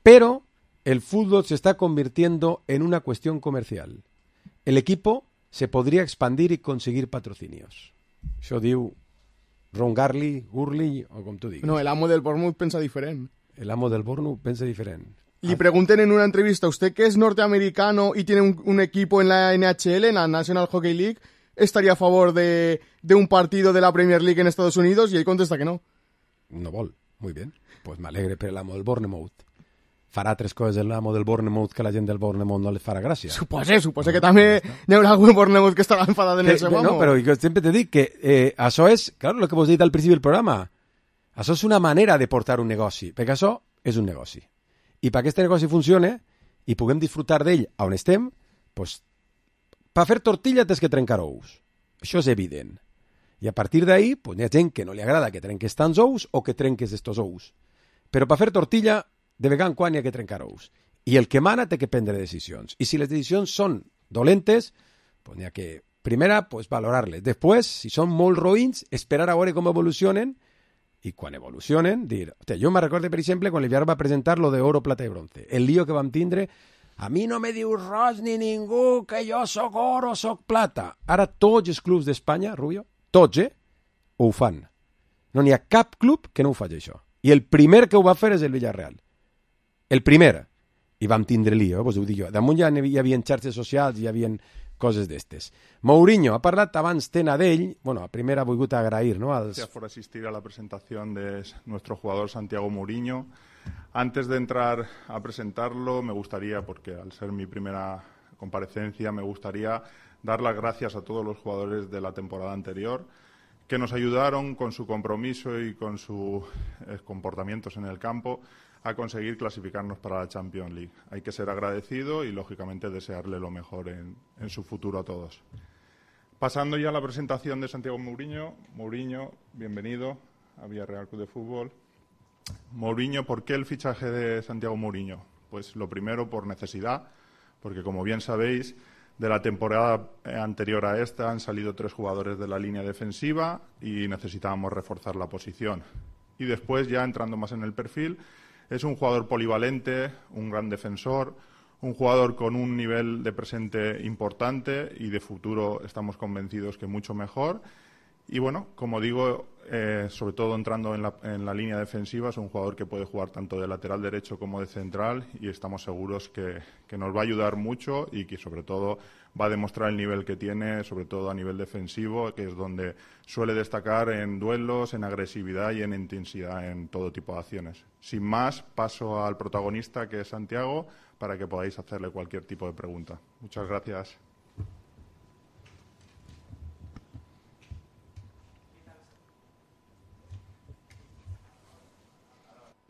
Pero el fútbol se está convirtiendo en una cuestión comercial. El equipo se podría expandir y conseguir patrocinios. Això diu Ron Garley, Gurley, o com tu diguis. No, el amo del Bournemouth pensa diferent. El amo del Bournemouth pensa diferent. Le pregunten en una entrevista, ¿usted que es norteamericano y tiene un, un equipo en la N H L, en la National Hockey League, estaría a favor de, de un partido de la Premier League en Estados Unidos? Y él contesta que no. No vol. Muy bien. Pues me alegre per l'amo del Bournemouth. Farà tres coses l'amo del Bournemouth que la gent del Bournemouth no li farà gràcia. Supose, supose que també hi haurà algun Bournemouth que estarà enfadat en el seu amo. No, però jo sempre te dic que eh, això és, claro, el que vos he dit al principi del programa, això és una manera de portar un negoci, perquè això és un negoci. I perquè aquest negoci funcione i puguem disfrutar d'ell on estem, pues, per fer tortilla tens que trencar ous. Això és evident. I a partir d'ahí, pues, hi ha gent que no li agrada que trenques tants ous o que trenques estos ous. Però per fer tortilla, de vegada en quan hi ha que trencar ous. i el que mana té que prendre decisions. I si les decisions són dolentes, pues n'hi ha que, primera, pues valorar-les. Després, si són molt roïns, esperar a veure com evolucionen, i quan evolucionen, dir... Hòstia, jo me recordo, per exemple, quan el Villarreal va presentar lo de oro, plata i bronce. El lío que vam tindre, a mi no me diu res ni ningú que jo soc oro, soc plata. Ara tots els clubs d'Espanya, Rubio, tots, eh, ho fan. No n'hi ha cap club que no ho faci això. I el primer que ho va fer és el Villarreal. El primer. I vam tindre lío, eh? Pues ho dic jo. Damunt ja hi havia xarxes socials, hi havia coses d'estes. Mourinho ha parlat abans tena d'ell. Bueno, primer ha volgut agrair, ¿no? Als... Gracias por asistir a la presentación de nuestro jugador Santiago Mourinho. Antes de entrar a presentarlo, me gustaría, porque al ser mi primera comparecencia, me gustaría dar las gracias a todos los jugadores de la temporada anterior que nos ayudaron con su compromiso y con sus eh, comportamientos en el campo a conseguir clasificarnos para la Champions League. Hay que ser agradecido y, lógicamente, desearle lo mejor en, en su futuro a todos. Pasando ya a la presentación de Santiago Mourinho. Mourinho, bienvenido a Villarreal Club de Fútbol. Mourinho, ¿por qué el fichaje de Santiago Mourinho? Pues lo primero por necesidad, porque como bien sabéis, de la temporada anterior a esta han salido tres jugadores de la línea defensiva y necesitábamos reforzar la posición. Y después, ya entrando más en el perfil, es un jugador polivalente, un gran defensor, un jugador con un nivel de presente importante y de futuro estamos convencidos que mucho mejor. Y bueno, como digo, eh, sobre todo entrando en la, en la línea defensiva, es un jugador que puede jugar tanto de lateral derecho como de central y estamos seguros que, que nos va a ayudar mucho y que sobre todo va a demostrar el nivel que tiene, sobre todo a nivel defensivo, que es donde suele destacar en duelos, en agresividad y en intensidad en todo tipo de acciones. Sin más, paso al protagonista, que es Santiago, para que podáis hacerle cualquier tipo de pregunta. Muchas gracias.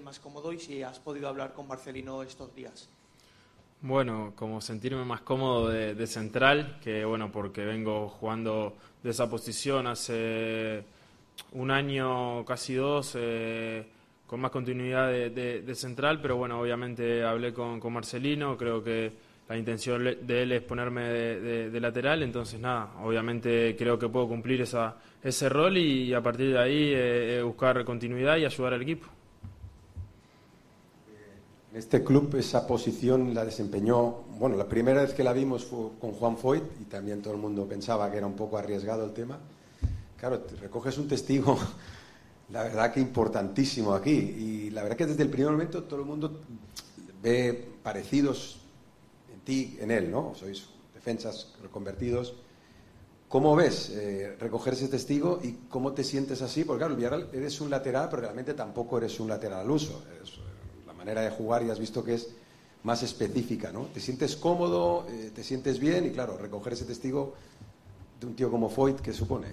Más cómodo y si has podido hablar con Marcelino estos días. Bueno, como sentirme más cómodo de, de central, que bueno, porque vengo jugando de esa posición hace un año, casi dos, eh, con más continuidad de, de, de central, pero bueno, obviamente hablé con, con Marcelino, creo que la intención de él es ponerme de, de, de lateral, entonces nada, obviamente creo que puedo cumplir esa, ese rol y a partir de ahí eh, buscar continuidad y ayudar al equipo. En este club esa posición la desempeñó, bueno, la primera vez que la vimos fue con Juan Foyt y también todo el mundo pensaba que era un poco arriesgado el tema. Claro, te recoges un testigo, la verdad que importantísimo aquí, y la verdad que desde el primer momento todo el mundo ve parecidos en ti, en él, ¿no? Sois defensas reconvertidos. ¿Cómo ves eh, recoger ese testigo y cómo te sientes así? Porque claro, el Villarreal eres un lateral, pero realmente tampoco eres un lateral al uso. Eres, manera de jugar y has visto que es más específica, ¿no? Te sientes cómodo, eh, te sientes bien y claro, recoger ese testigo de un tío como Foyt, ¿qué supone?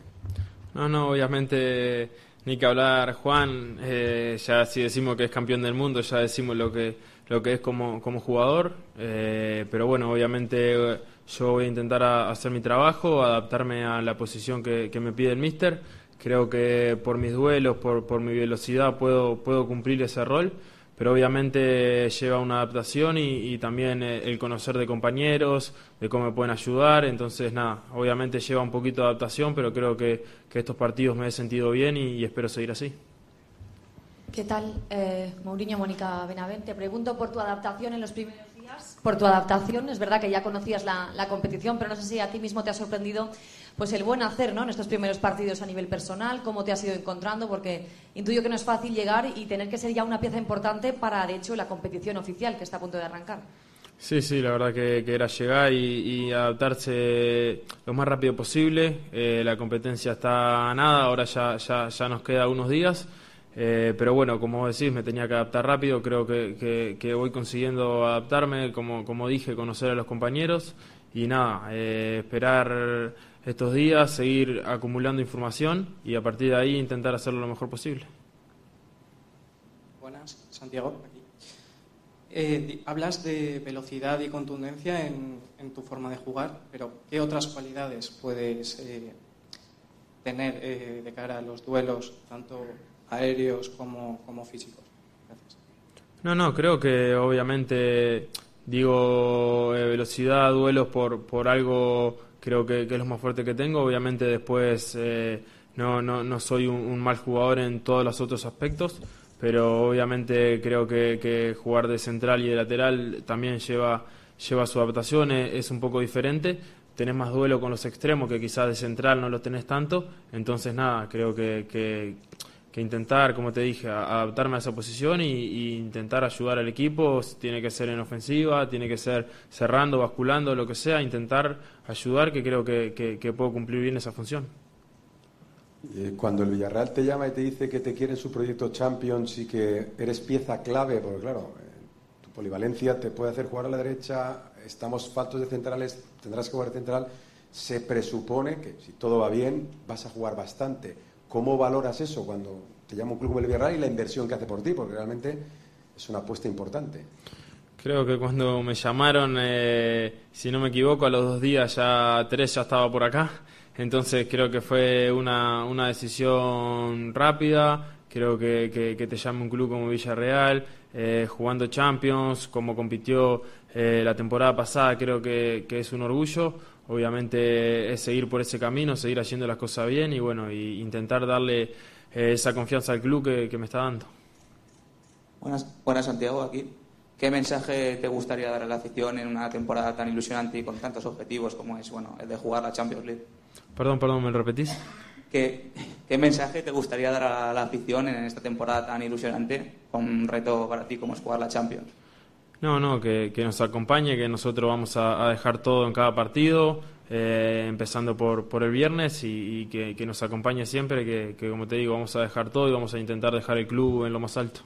No, no, obviamente ni que hablar Juan, eh, ya si decimos que es campeón del mundo, ya decimos lo que lo que es como, como jugador, eh, pero bueno, obviamente yo voy a intentar a, hacer mi trabajo, adaptarme a la posición que, que me pide el míster. Creo que por mis duelos, por, por mi velocidad puedo, puedo cumplir ese rol, pero obviamente lleva una adaptación y, y también el conocer de compañeros, de cómo me pueden ayudar, entonces nada, obviamente lleva un poquito de adaptación, pero creo que, que estos partidos me he sentido bien y, y espero seguir así. ¿Qué tal, eh, Mourinho? Mónica Benavent, te pregunto por tu adaptación en los primeros días, por tu adaptación, es verdad que ya conocías la, la competición, pero no sé si a ti mismo te ha sorprendido pues el buen hacer, ¿no?, en estos primeros partidos a nivel personal, cómo te has ido encontrando, porque intuyo que no es fácil llegar y tener que ser ya una pieza importante para, de hecho, la competición oficial que está a punto de arrancar. Sí, sí, la verdad que, que era llegar y, y adaptarse lo más rápido posible. Eh, la competencia está a nada, ahora ya, ya, ya nos queda unos días, eh, pero bueno, como vos decís, me tenía que adaptar rápido, creo que, que, que voy consiguiendo adaptarme, como, como dije, conocer a los compañeros y nada, eh, esperar estos días, seguir acumulando información y a partir de ahí intentar hacerlo lo mejor posible. Buenas, Santiago, aquí. Eh, hablas de velocidad y contundencia en, en tu forma de jugar, pero ¿qué otras cualidades puedes eh, tener eh, de cara a los duelos, tanto aéreos como, como físicos? Gracias. No, no, creo que obviamente digo eh, velocidad, duelos por, por algo, creo que, que es lo más fuerte que tengo. Obviamente después eh, no, no, no soy un, un mal jugador en todos los otros aspectos, pero obviamente creo que, que jugar de central y de lateral también lleva, lleva su adaptación, es, es un poco diferente. Tenés más duelo con los extremos, que quizás de central no lo tenés tanto. Entonces nada, creo que, que, que intentar, como te dije, a, adaptarme a esa posición y, y intentar ayudar al equipo. Tiene que ser en ofensiva, tiene que ser cerrando, basculando, lo que sea, intentar ayudar, que creo que, que, que puedo cumplir bien esa función. Cuando el Villarreal te llama y te dice que te quiere en su proyecto Champions y que eres pieza clave, porque claro, tu polivalencia te puede hacer jugar a la derecha, estamos faltos de centrales, tendrás que jugar central, se presupone que si todo va bien vas a jugar bastante. ¿Cómo valoras eso cuando te llama un club como el Villarreal y la inversión que hace por ti? Porque realmente es una apuesta importante. Creo que cuando me llamaron, eh, si no me equivoco, a los dos días ya tres ya estaba por acá. Entonces creo que fue una, una decisión rápida. Creo que, que, que te llame un club como Villarreal, eh, jugando Champions, como compitió eh, la temporada pasada, creo que, que es un orgullo. Obviamente es seguir por ese camino, seguir haciendo las cosas bien y bueno, y intentar darle eh, esa confianza al club que, que me está dando. Buenas, buenas Santiago, aquí. ¿Qué mensaje te gustaría dar a la afición en una temporada tan ilusionante y con tantos objetivos como es, bueno, el de jugar la Champions League? Perdón, perdón, ¿me lo repetís? ¿Qué, ¿Qué mensaje te gustaría dar a la afición en esta temporada tan ilusionante, con un reto para ti como es jugar la Champions? No, no, que, que nos acompañe, que nosotros vamos a, a dejar todo en cada partido, eh, empezando por, por el viernes y, y que, que nos acompañe siempre, que, que como te digo, vamos a dejar todo y vamos a intentar dejar el club en lo más alto.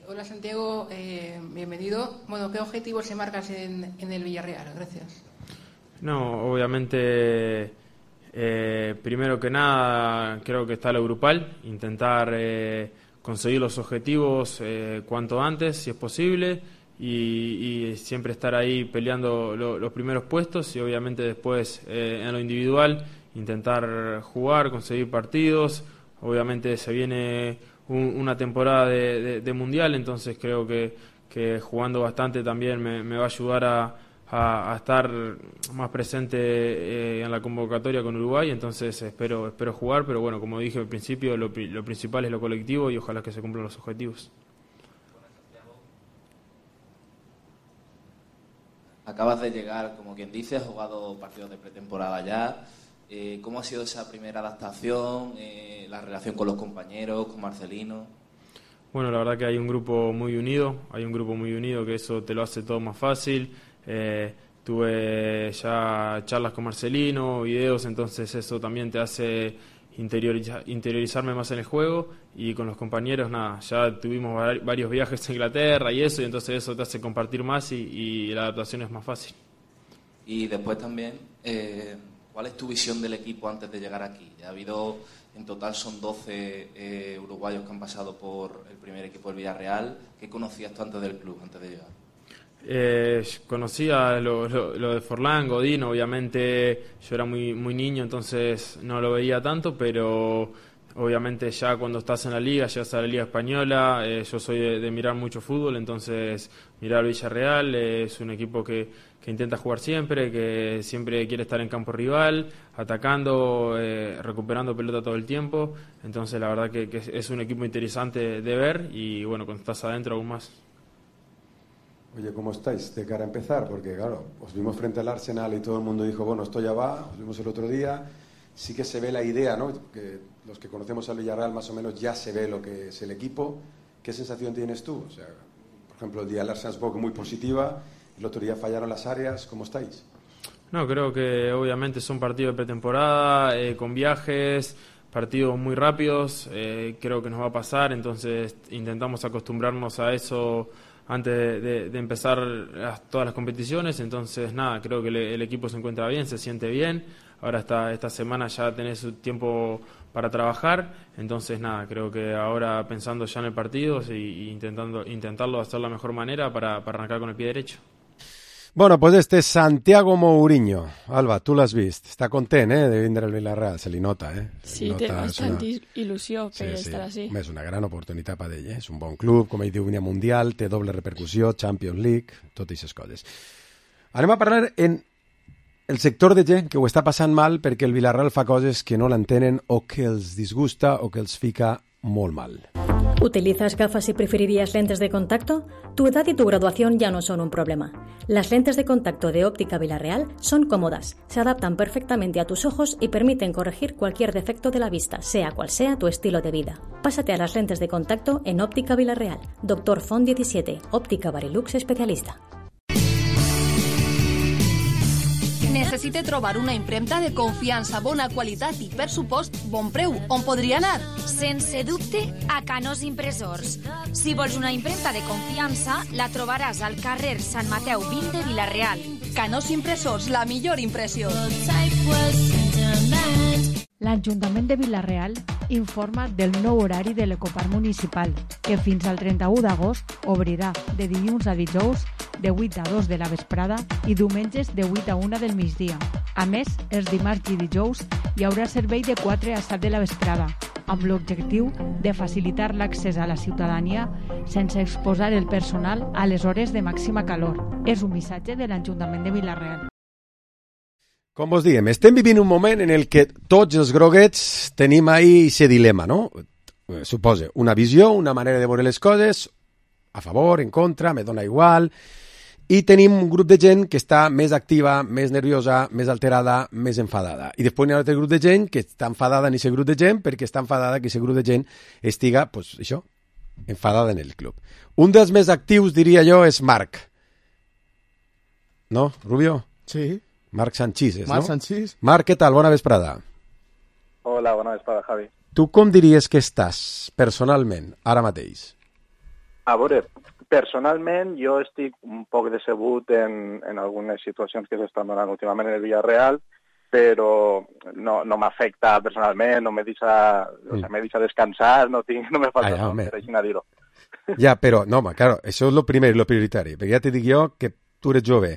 Hola Santiago, eh, bienvenido. Bueno, ¿qué objetivos se marcas en, en el Villarreal? Gracias. No, obviamente, eh, primero que nada, creo que está lo grupal, intentar eh, conseguir los objetivos eh, cuanto antes, si es posible, y, y siempre estar ahí peleando lo, los primeros puestos y obviamente después eh, en lo individual intentar jugar, conseguir partidos. Obviamente se viene un, una temporada de, de, de mundial, entonces creo que, que jugando bastante también me, me va a ayudar a, a, a estar más presente eh, en la convocatoria con Uruguay, entonces espero espero jugar, pero bueno, como dije al principio, lo, lo principal es lo colectivo y ojalá que se cumplan los objetivos. Acabas de llegar, como quien dice, has jugado partidos de pretemporada ya. Eh, ¿Cómo ha sido esa primera adaptación, eh, la relación con los compañeros, con Marcelino? Bueno, la verdad que hay un grupo muy unido, hay un grupo muy unido que eso te lo hace todo más fácil. Eh, tuve ya charlas con Marcelino, videos, entonces eso también te hace interioriza, interiorizarme más en el juego y con los compañeros, nada, ya tuvimos varios viajes a Inglaterra y eso, y entonces eso te hace compartir más y, y la adaptación es más fácil. Y después también... Eh, ¿Cuál es tu visión del equipo antes de llegar aquí? Ha habido, en total son doce eh, uruguayos que han pasado por el primer equipo del Villarreal. ¿Qué conocías tú antes del club, antes de llegar? Eh, conocía lo, lo, lo de Forlán, Godín, obviamente yo era muy, muy niño, entonces no lo veía tanto, pero obviamente ya cuando estás en la liga, llegas a la liga española, eh, yo soy de, de mirar mucho fútbol, entonces mirar Villarreal eh, es un equipo que que intenta jugar siempre, que siempre quiere estar en campo rival, atacando, eh, recuperando pelota todo el tiempo. Entonces la verdad que, que es un equipo interesante de ver y bueno, cuando estás adentro aún más. Oye, ¿cómo estáis de cara a empezar? Porque claro, os vimos frente al Arsenal y todo el mundo dijo, bueno, esto ya va, os vimos el otro día. Sí que se ve la idea, ¿no? Que los que conocemos al Villarreal más o menos ya se ve lo que es el equipo. ¿Qué sensación tienes tú? O sea, por ejemplo, el día del Arsenal es un poco muy positiva. El otro día fallaron las áreas, ¿cómo estáis? No, creo que obviamente son partidos de pretemporada, eh, con viajes, partidos muy rápidos, eh, creo que nos va a pasar, entonces intentamos acostumbrarnos a eso antes de, de, de empezar las, todas las competiciones, entonces nada, creo que le, el equipo se encuentra bien, se siente bien, ahora esta, esta semana ya tenés tiempo para trabajar, entonces nada, creo que ahora pensando ya en el partido y, y intentando intentarlo hacer de la mejor manera para, para arrancar con el pie derecho. Bueno, pues este és Santiago Mourinho. Alba, tu l'has vist. Està content, eh, de vindre al Villarreal. Se li nota, eh? Se Sí, li nota, té bastanta és una... il·lusió per Sí, sí. estar així. Home, és una gran oportunitat per ell, eh? És un bon club, com ell diu, vine mundial, té doble repercussió, Champions League, totes aquestes coses. Anem a parlar en el sector de gent que ho està passant mal perquè el Villarreal fa coses que no l'entenen o que els disgusta o que els fica molt mal. ¿Utilizas gafas y preferirías lentes de contacto? Tu edad y tu graduación ya no son un problema. Las lentes de contacto de Óptica Villarreal son cómodas, se adaptan perfectamente a tus ojos y permiten corregir cualquier defecto de la vista, sea cual sea tu estilo de vida. Pásate a las lentes de contacto en Óptica Villarreal. Doctor Font diecisiete, Óptica Barilux especialista. Necessite trobar una impremta de confiança, bona qualitat i, per supost, bon preu. On podria anar? Sense dubte, a Canós Impressors. Si vols una impremta de confiança, la trobaràs al carrer Sant Mateu vint de Vila-real. Canós Impressors, la millor impressió. L'Ajuntament de Vila-real informa del nou horari de l'Ecoparc Municipal, que fins al trenta-u d'agost obrirà de dilluns a dijous de vuit a dos de la vesprada i diumenges de vuit a una del migdia. A més, els dimarts i dijous hi haurà servei de quatre a set de la vesprada, amb l'objectiu de facilitar l'accés a la ciutadania sense exposar el personal a les hores de màxima calor. És un missatge de l'Ajuntament de Vila-real. Com vos diem, estem vivint un moment en el que tots els groguets tenim ahí aquest dilema, no? Suposa, una visió, una manera de veure les coses, a favor, en contra, me dona igual, i tenim un grup de gent que està més activa, més nerviosa, més alterada, més enfadada. I després hi ha un altre grup de gent que està enfadada en aquest grup de gent perquè està enfadada que aquest grup de gent estiga, pues, això, enfadada en el club. Un dels més actius, diria jo, és Marc. No, Rubio? Sí. Marc Sanchís, Marc no? Sanchís. Marc, què tal? Bona vesprada. Hola, bona vesprada, Javi. Tu com diries que estàs, personalment, ara mateix? A veure, personalment jo estic un poc decebut en, en algunes situacions que s'estan donant últimament en el Villarreal, però no, no m'afecta personalment, no me deixa, mm. o sea, me deixa descansar, no, tinc, no me falta ah, ja, no, per així a dir-ho. Ja, però, no, home, claro, això és lo primer, lo prioritari, perquè ja te dic jo que tu eres jove.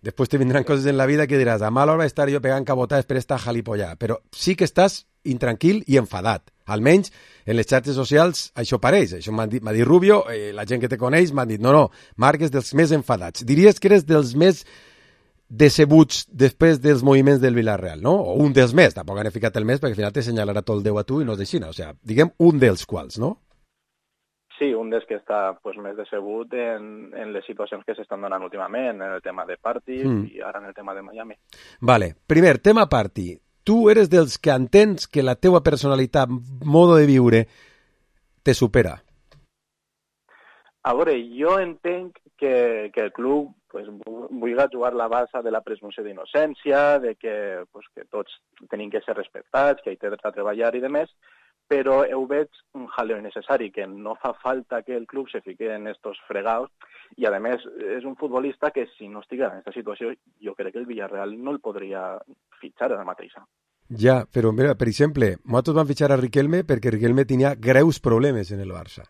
Después te vendrán cosas en la vida que diràs, a mala hora estar jo pegant cabotades per esta jalipollar, però sí que estàs intranquil i enfadat. Almenys en les xarxes socials això pareix. Això m'ha dit, dit Rubio, eh, la gent que te coneix m'ha dit, no, no, Marc és dels més enfadats. Diries que eres dels més decebuts després dels moviments del Villarreal, no? O un dels més, tampoc han ficat el més, perquè al final te senyalarà tot el Déu a tu i no és així, no? O sigui, diguem un dels quals, no? Sí, un dels que està pues, més decebut en, en les situacions que s'estan donant últimament, en el tema de Party mm. i ara en el tema de Miami. Vale, primer, tema Party. Tu eres dels que entens que la teua personalitat, modo de viure, te supera? A veure, jo entenc que, que el club pues, vulgui jugar la base de la presumpció d'innocència, de que, pues, que tots tenim que ser respectats, que hi té a treballar i demés, però ho veig un jaleo innecessari, que no fa falta que el club se fique en estos fregados, i a més és un futbolista que si no estigués en aquesta situació jo crec que el Villarreal no el podria fitxar ara mateixa. Ja, però mira, per exemple, nosaltres vam fitxar a Riquelme perquè Riquelme tenia greus problemes en el Barça.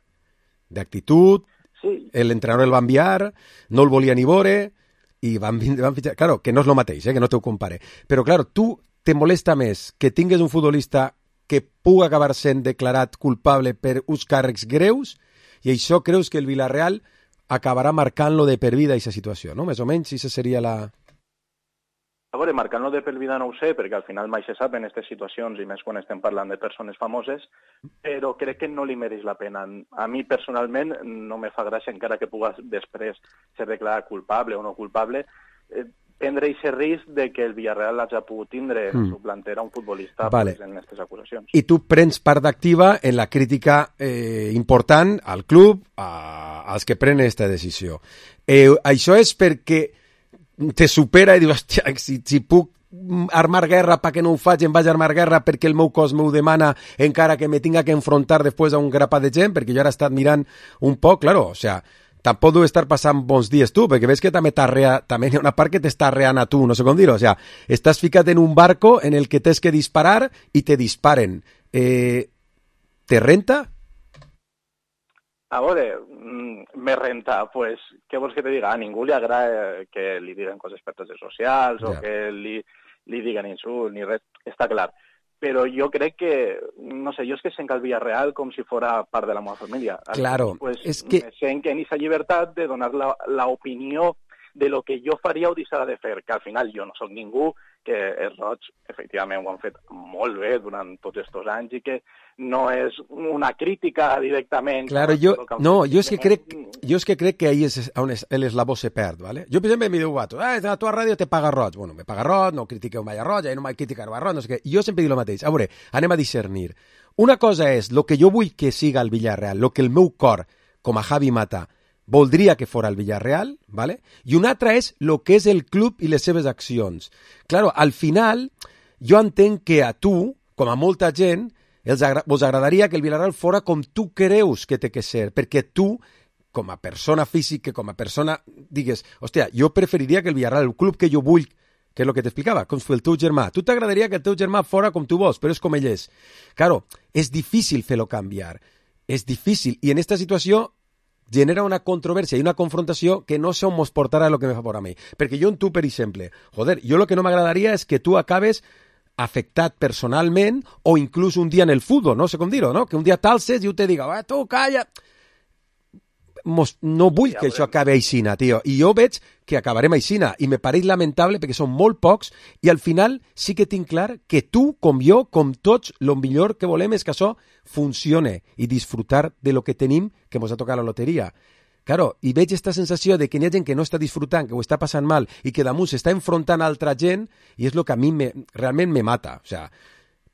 D'actitud, sí. L'entrenador el va enviar, no el volia ni veure, i van, van fitxar... Claro, que no és el mateix, eh, que no t'ho compare. Però, claro, tu te molesta més que tingues un futbolista que pugui acabar sent declarat culpable per uns càrrecs greus, i això creus que el Villarreal acabarà marcant-lo de per vida aquesta situació, no? Més o menys, si seria la... A veure, marcant-lo de per vida no ho sé, perquè al final mai se sap en aquestes situacions, i més quan estem parlant de persones famoses, però crec que no li mereix la pena. A mi, personalment, no me fa gràcia, encara que pugues després ser declarat culpable o no culpable, eh, prendre aquest risc de que el Villarreal hagi pogut tindre en mm. su plantera un futbolista vale. pues, en aquestes acusacions. I tu prens part activa en la crítica eh, important al club, a, als que prenen aquesta decisió. Eh, això és perquè te supera i dius, hòstia, si, si puc armar guerra perquè no ho faig, em vaig armar guerra perquè el meu cos m'ho demana, encara que me tinga que enfrontar després a un grapat de gent, perquè jo ara he estat mirant un poc, claro, o sea, tampoc deu estar passant bons dies tu, perquè ves que també, també hi ha una part que t'està reant a tu, no sé com dir-ho, o sea, estàs ficat en un barco en el que tens que disparar i te disparen. Eh, te renta? A veure, me renta, pues, què vols que te diga? A ningú li agrada que li diguen coses per redes socials o Ja. que li, li diguen insults ni res, està clar. Però jo crec que, no sé, jo és que sent el Villarreal com si fora part de la meva família. Claro, pues, és que... me sent en esa llibertat de donar la, la opinió de lo que jo faria o deixarà de fer, que al final jo no sóc ningú, que els Roig, efectivament, ho han fet molt bé durant tots aquests anys i que no és una crítica directament. Claro, yo, no, yo es que crec, yo es que crec que ahí es on es, el eslabó se perd, ¿vale? Jo, per exemple, em diu vato, ah, la tua ràdio te paga Roig. Bueno, me paga Roig, no critiqueu mai a Roig, no mai criticar a Roig, no sé què. Jo sempre dic el mateix. A veure, anem a discernir. Una cosa és lo que jo vull que siga el Villarreal, lo que el meu cor, com a Javi Mata, voldria que fora el Villarreal, ¿vale? I una altra és lo que és el club i les seves accions. Claro, al final, jo entenc que a tu, com a molta gent, els agra vos agradaria que el Villarreal fora com tu creus que té que ser, perquè tu, com a persona física, com a persona, digues, hòstia, jo preferiria que el Villarreal, el club que jo vull, que és el que t'explicava, com si el teu germà. Tu t'agradaria que el teu germà fora com tu vols, però és com ell és. Claro, és difícil fer-lo canviar. És difícil. I en esta situació genera una controvèrsia i una confrontació que no sé on mos portarà el que me fa por a mi. Perquè jo en tu, per exemple, joder, jo el que no m'agradaria és que tu acabes afectat personalment o inclús un dia en el futbol, no sé com dir-ho, no? Que un dia t'alces i jo te diga, ah, tu, calla... Mos, no vull que això acabi aixina, tio. I jo veig que acabarem aixina i me pareix lamentable perquè són molt pocs i al final sí que tinc clar que tu, com jo, com tots, el millor que volem és que això funcione i disfrutar de lo que tenim que mos ha tocat la loteria. Claro, i veig aquesta sensació de que hi ha gent que no està disfrutant, que ho està passant mal i que damunt s'està enfrontant a altra gent i és el que a mi me, realment me mata. O sea,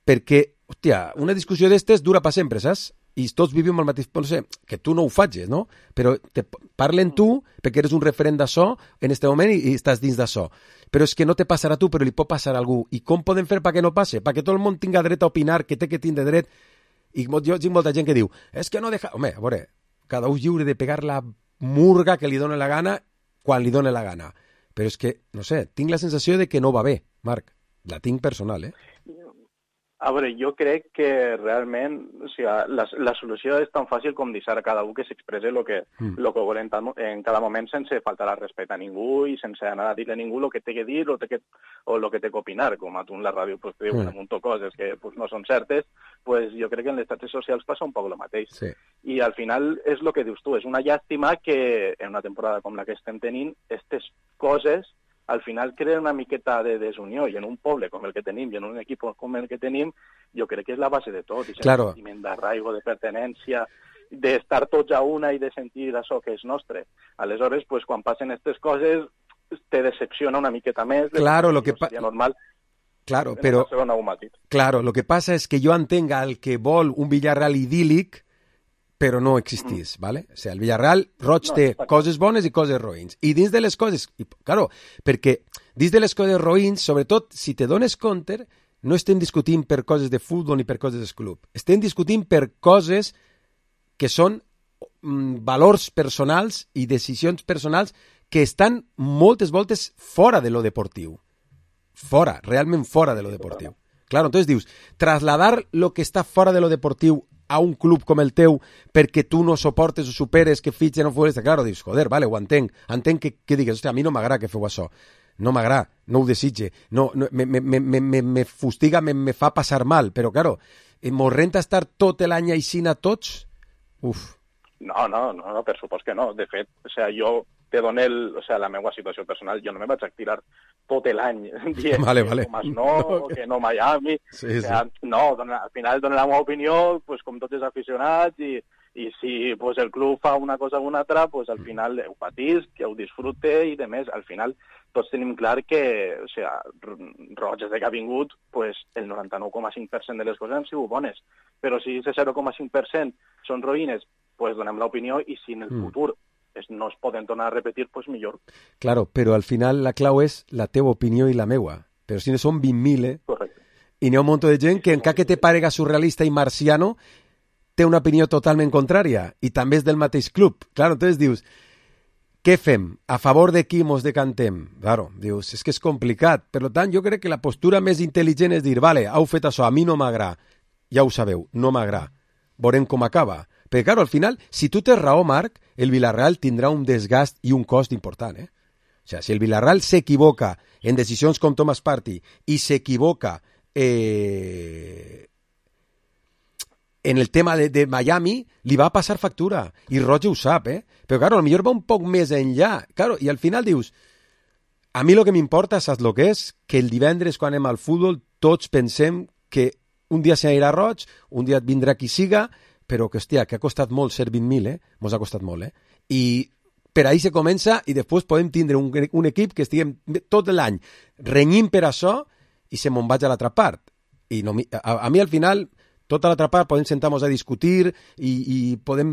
perquè, hòstia, una discussió d'estes dura per sempre, saps? I tots vivim el mateix, no sé, que tu no ho facis, no? Però te parlen tu perquè eres un referent d'això en aquest moment i, i estàs dins d'això. Però és que no te passarà a tu, però li pot passar a algú. I com podem fer perquè no passe? Perquè tot el món tinga dret a opinar, que té que tindre dret. I jo tinc molta gent que diu, és que no deja... Home, a veure, cada un lliure de pegar la murga que li dóna la gana quan li dóna la gana. Però és que, no sé, tinc la sensació de que no va bé, Marc. La tinc personal, eh? A veure, jo crec que realment o sigui, la, la solució és tan fàcil com deixar a cada un que s'expresse el que, mm. lo que volen en cada moment sense faltar al respecte a ningú i sense anar a dir a ningú el que té que dir o, que, o el que té que opinar, com a tu en la ràdio pues, te diuen mm. un munt de coses que pues, no són certes, pues, jo crec que en les xarxes socials passa un poc el mateix. Sí. I al final és el que dius tu, és una llàstima que en una temporada com la que estem tenint, aquestes coses al final crea una miqueta de desunió i en un poble com el que tenim i en un equip com el que tenim, jo crec que és la base de tot, i claro. El sentiment d'arraigo, de pertenència, d'estar tots a una i de sentir això que és nostre. Aleshores, pues, quan passen aquestes coses, te decepciona una miqueta més. Claro, lo que seria normal. Claro, però... Claro, lo que passa és que jo entenc el que vol un Villarreal idíl·lic, però no existís, mm. ¿vale? O sea, el Villarreal, Roig no, té coses bones i coses roïns. I dins de les coses, i, claro, perquè dins de les coses roïns, sobretot, si te dones compte, no estem discutint per coses de futbol ni per coses del club. Estem discutint per coses que són mm, valors personals i decisions personals que estan moltes voltes fora de lo deportiu. Fora, realment fora de lo deportiu. Claro, entonces dius, trasladar lo que està fora de lo deportiu a un club com el teu perquè tu no soportes o superes que fitxen o futbolista, claro, dius, joder, vale, ho entenc, entenc que, que digues, hòstia, a mi no m'agrada que feu això, no m'agrada, no ho desitge, no, no, me, me, me, me, me fustiga, me, me fa passar mal, però, claro, mos renta estar tot l'any aixina tots? Uf. No, no, no, no, per supost que no. De fet, o sea, jo te dono el, o sea, la meva situació personal, jo no me vaig a tirar tot l'any dient vale, vale. que no, no, que no Miami. Sí, o sea, sí. No, dona, al final dono la meva opinió, pues, com tots els aficionats, i, i si pues, el club fa una cosa o una altra, pues, al final ho patís, que ho disfrute, i de més, al final tots tenim clar que, o sea, Roig des que ha vingut, pues, el noranta-nou coma cinc per cent de les coses han sigut bones, però si ese zero coma cinc per cent són roïnes, pues donem l'opinió, i si en el mm. futur es, no es poden tornar a repetir, pues millor. Claro, però al final la clau és la teva opinió i la meua. Però si no són vint mil, eh? Correcte. I n'hi ha un munt de gent que encara que te parega surrealista i marciano, té una opinió totalment contrària, i també és del mateix club. Claro, entonces dius, què fem? A favor de qui mos decantem? Claro, dius, és que és complicat. Per tant, jo crec que la postura més intel·ligent és dir, vale, heu fet això, a mi no m'agrada. Ja ho sabeu, no m'agrada. Veurem com acaba. Perquè, claro, al final, si tu tens raó, Marc, el Villarreal tindrà un desgast i un cost important, eh? O sea, si el Villarreal s'equivoca en decisions com Thomas Partey i s'equivoca eh, en el tema de, de Miami, li va passar factura. I Roger ho sap, eh? Però, claro, potser va un poc més enllà. Claro, i al final dius, a mi el que m'importa, saps el que és? Que el divendres, quan anem al futbol, tots pensem que un dia s'anirà roig, un dia vindrà qui siga, però que, hòstia, que ha costat molt ser vint mil, eh? Mos ha costat molt, eh? I per ahí se comença i després podem tindre un, un equip que estiguem tot l'any renyint per això i se me'n vaig a l'altra part. I no, a, a mi al final, tota l'altra part podem sentar-nos a discutir i, i podem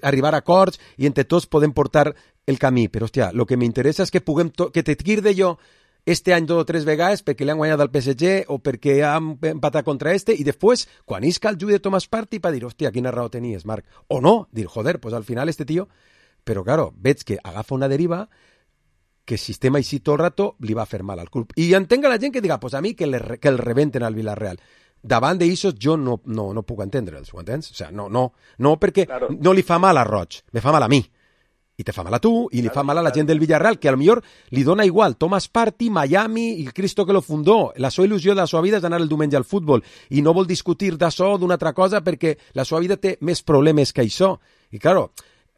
arribar a acords i entre tots podem portar el camí. Però, hòstia, el que m'interessa és que puguem que te tirde jo este any dos o tres vegades perquè li han guanyat al P S G o perquè han empatat contra este i després, quan isca el juí de Thomas Partey, per dir, hòstia, quina raó tenies, Marc. O no, dir, joder, pues al final este tío... Però, claro, veig que agafa una deriva que el sistema així tot el rato li va fer mal al club. I entenc a la gent que diga, pues a mi que, le, que el rebenten al Villarreal. Davant d'aixos jo no, no, no puc entendre'ls, ho entens? O sea, no, no, no perquè claro. No li fa mal a Roig, me fa mal a mi. I te fa mal a tu, i li claro, fa mal a la gent del Villarreal, que a lo millor li dona igual. Thomas Partey, Miami, i el Cristo que lo fundó. La seva il·lusió de la seva vida és anar el diumenge al futbol. I no vol discutir d'això, d'una altra cosa, perquè la seva vida té més problemes que això. I, claro,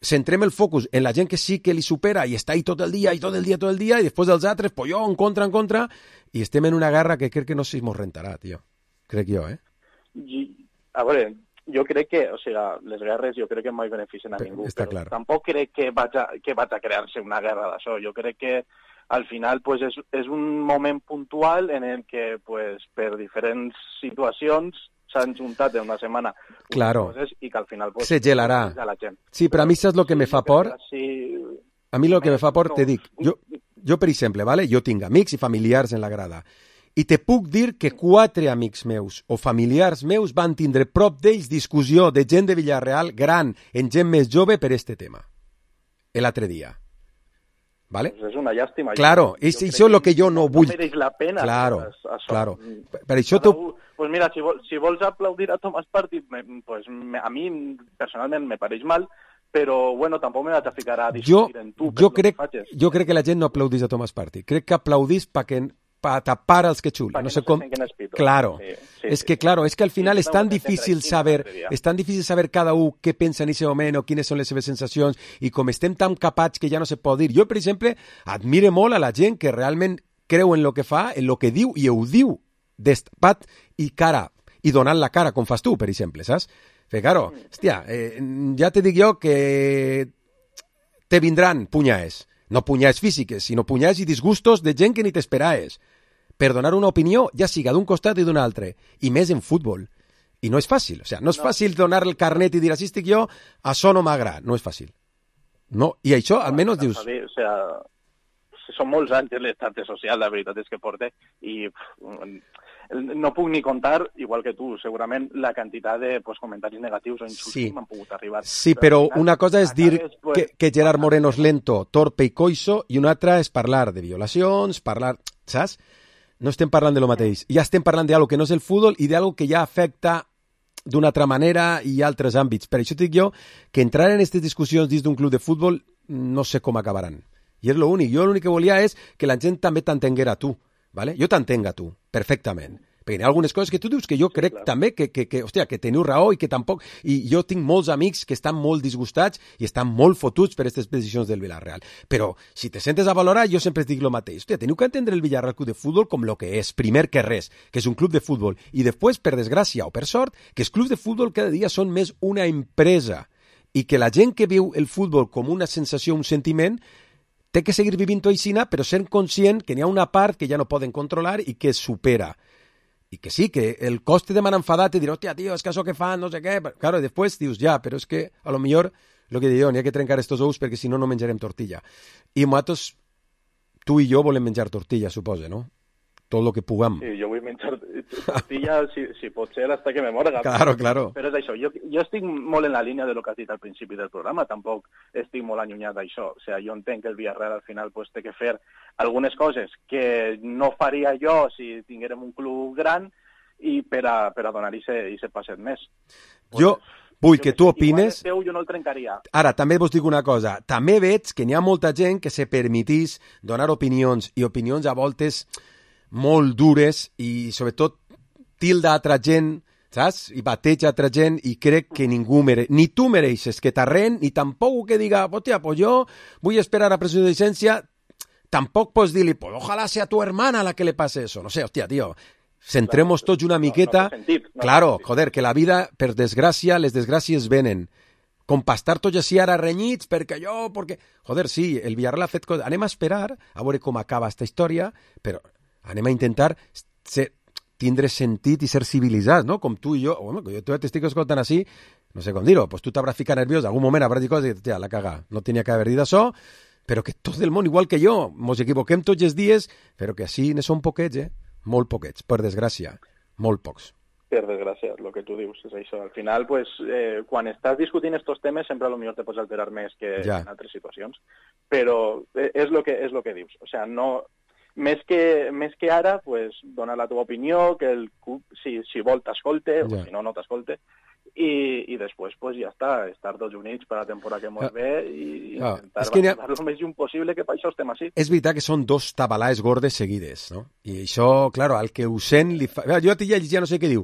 centrem el focus en la gent que sí que li supera i està ahí tot el dia, i tot el dia, tot el dia, i després dels altres, pues jo, en contra, en contra, i estem en una guerra que crec que no sé si mos rentarà, tio. Crec jo, eh? I, a veure, jo crec que, o sigui, les guerres jo crec que mai beneficien a ningú, Està però clar. tampoc crec que vaig a, que vaig a crear-se una guerra d'això. Jo crec que al final pues, és, és un moment puntual en el que pues, per diferents situacions s'han juntat en una setmana claro. coses i que al final pues, se gelarà. La gent. Sí, però a mi saps el que me fa por? Sí, a mi el que me fa por, te dic, jo, jo per exemple, vale? Jo tinc amics i familiars en la grada i te puc dir que quatre amics meus o familiars meus van tindre prop d'ells discussió de gent de Villarreal gran en gent més jove per este tema l'altre dia. ¿Vale? Pues es una llàstima. Claro, és això el que jo no vull. No mereix la pena. Claro, això. claro. Per això tu... Pues mira, si, vol, si vols aplaudir a Thomas Partey, me, pues me, a mi personalment me pareix mal, però bueno, tampoc me vaig a ficar a discutir jo, en tu. Jo crec, jo crec que la gent no aplaudís a Thomas Partey. Crec que aplaudís pa que para tapar els que xulen. No sé com... Claro. Sí, sí, es que, claro, es que al final sí, és tan difícil saber, és tan difícil saber cada un què pensa en aquest moment o quines són les seves sensacions i com estem tan capats que ja no se pot dir. Jo, per exemple, admire molt a la gent que realment creu en lo que fa, en lo que diu i ho diu destapat i cara, i donant la cara, com fas tu, per exemple, saps? Perquè, claro, hòstia, eh, ja te dic jo que te vindran punyades, no punyades físiques, sinó punyades i disgustos de gent que ni t'esperaves, per donar una opinió, ja siga d'un costat i d'un altre, i més en futbol. I no és fàcil, o sigui, no és no. fàcil donar el carnet i dir, així estic jo, això no m'agrada, no és fàcil. No, i això, almenys dius... O sigui, són molts anys l'estat social, la veritat és que porta, i no puc ni contar, igual que tu, segurament, la quantitat de pues, comentaris negatius o insults sí. que m'han pogut arribar. Sí, però una cosa és dir pues... que, que Gerard Moreno és lento, torpe i coixo, i una altra és parlar de violacions, parlar... Saps? No estem parlant de lo mateix. Ja estem parlant d'algo que no és el futbol i d'algo que ja afecta d'una altra manera i altres àmbits. Per això dic jo que entrar en aquestes discussions dins d'un club de futbol no sé com acabaran. I és l'únic. Jo l'únic que volia és que la gent també t'entenguera a tu. ¿Vale? Jo t'entenc a tu, perfectament. Perquè hi ha algunes coses que tu dius que jo crec sí, també que, que, que, hòstia, que teniu raó i que tampoc... I jo tinc molts amics que estan molt disgustats i estan molt fotuts per aquestes decisions del Villarreal. Però si te sentes a valorar, jo sempre dic el mateix. Hòstia, teniu que entendre el Villarreal Club de Futbol com lo que és, primer que res, que és un club de futbol. I després, per desgràcia o per sort, que els clubs de futbol cada dia són més una empresa i que la gent que viu el futbol com una sensació, un sentiment, té que seguir vivint aixina, però sent conscient que n'hi ha una part que ja no poden controlar i que es supera. I que sí, que el coste de m'han enfadat i dir, hòstia, tio, és que això que fan, no sé què... Claro, després dius, ja, però és que a lo millor, el que dic jo, n'hi ha que trencar estos ous perquè si no, no menjarem tortilla. I nosaltres, tu i jo volem menjar tortilla, suposa, no? Tot el que puguem. Sí, jo vull menjar tortilla, si, si pot ser, hasta que me morga. Claro, claro. Però és això, jo, jo estic molt en la línia de lo que has dit al principi del programa, tampoc estic molt allunyat d'això. O sigui, jo entenc que el Villarreal al final pues, té que fer algunes coses que no faria jo si tinguérem un club gran i per a, per a donar-hi ese passet més. Jo, vull que tu opines... Teu, jo no el trencaria. Ara, també vos dic una cosa. També veig que n'hi ha molta gent que se permetís donar opinions, i opinions a voltes molt dures, i sobretot tilda altra gent, saps? I bateja altra gent, i crec que ningú mere... ni tu mereixes que t'arren, ni tampoc que diga, hòstia, pues jo vull esperar a presunció de llicència. Tampoc pots dir-li, pues ojalá sea tu hermana la que le pase eso. No sé, hòstia, tio, centremos tots una miqueta. No, no sentit, no claro, joder, que la vida, per desgràcia, les desgràcies venen. Com per estar tots així ara renyits, perquè jo, perquè... Joder, sí, el Villarreal ha fet coses. Anem a esperar a veure com acaba esta història, però anem a intentar ser, tindre sentit i ser civilitzats, no? Com tu i jo. Bueno, jo t'estic escoltant així, no sé com dir-ho, pues tu t'hauràs ficat nerviós, algun moment hauràs dit coses i ja, la caga, no tenia que haver dit això, però que tot el món, igual que jo, mos equivoquem tots els dies, però que així ne són poquets, eh? Molt poquets, per desgràcia, molt pocs. Per desgràcia, el que tu dius és això. Al final, pues, eh, quan estàs discutint estos temes, sempre a lo millor te pots alterar més que ja. En altres situacions, però és lo que, és lo que dius. O sea, no... Més que, més que ara, pues, donar la teva opinió, que el club, si, si vol, t'escolte, ja. O si no, no t'escolte, i, i després, pues, ja està, estar tots units per la temporada que ens ve i ah, intentar que avançar el més junt possible, que per això estem així. És veritat que són dos tabalaes gordes seguides, no? I això, claro, al que ho sent li fa... Jo t'hi llegia no sé què diu.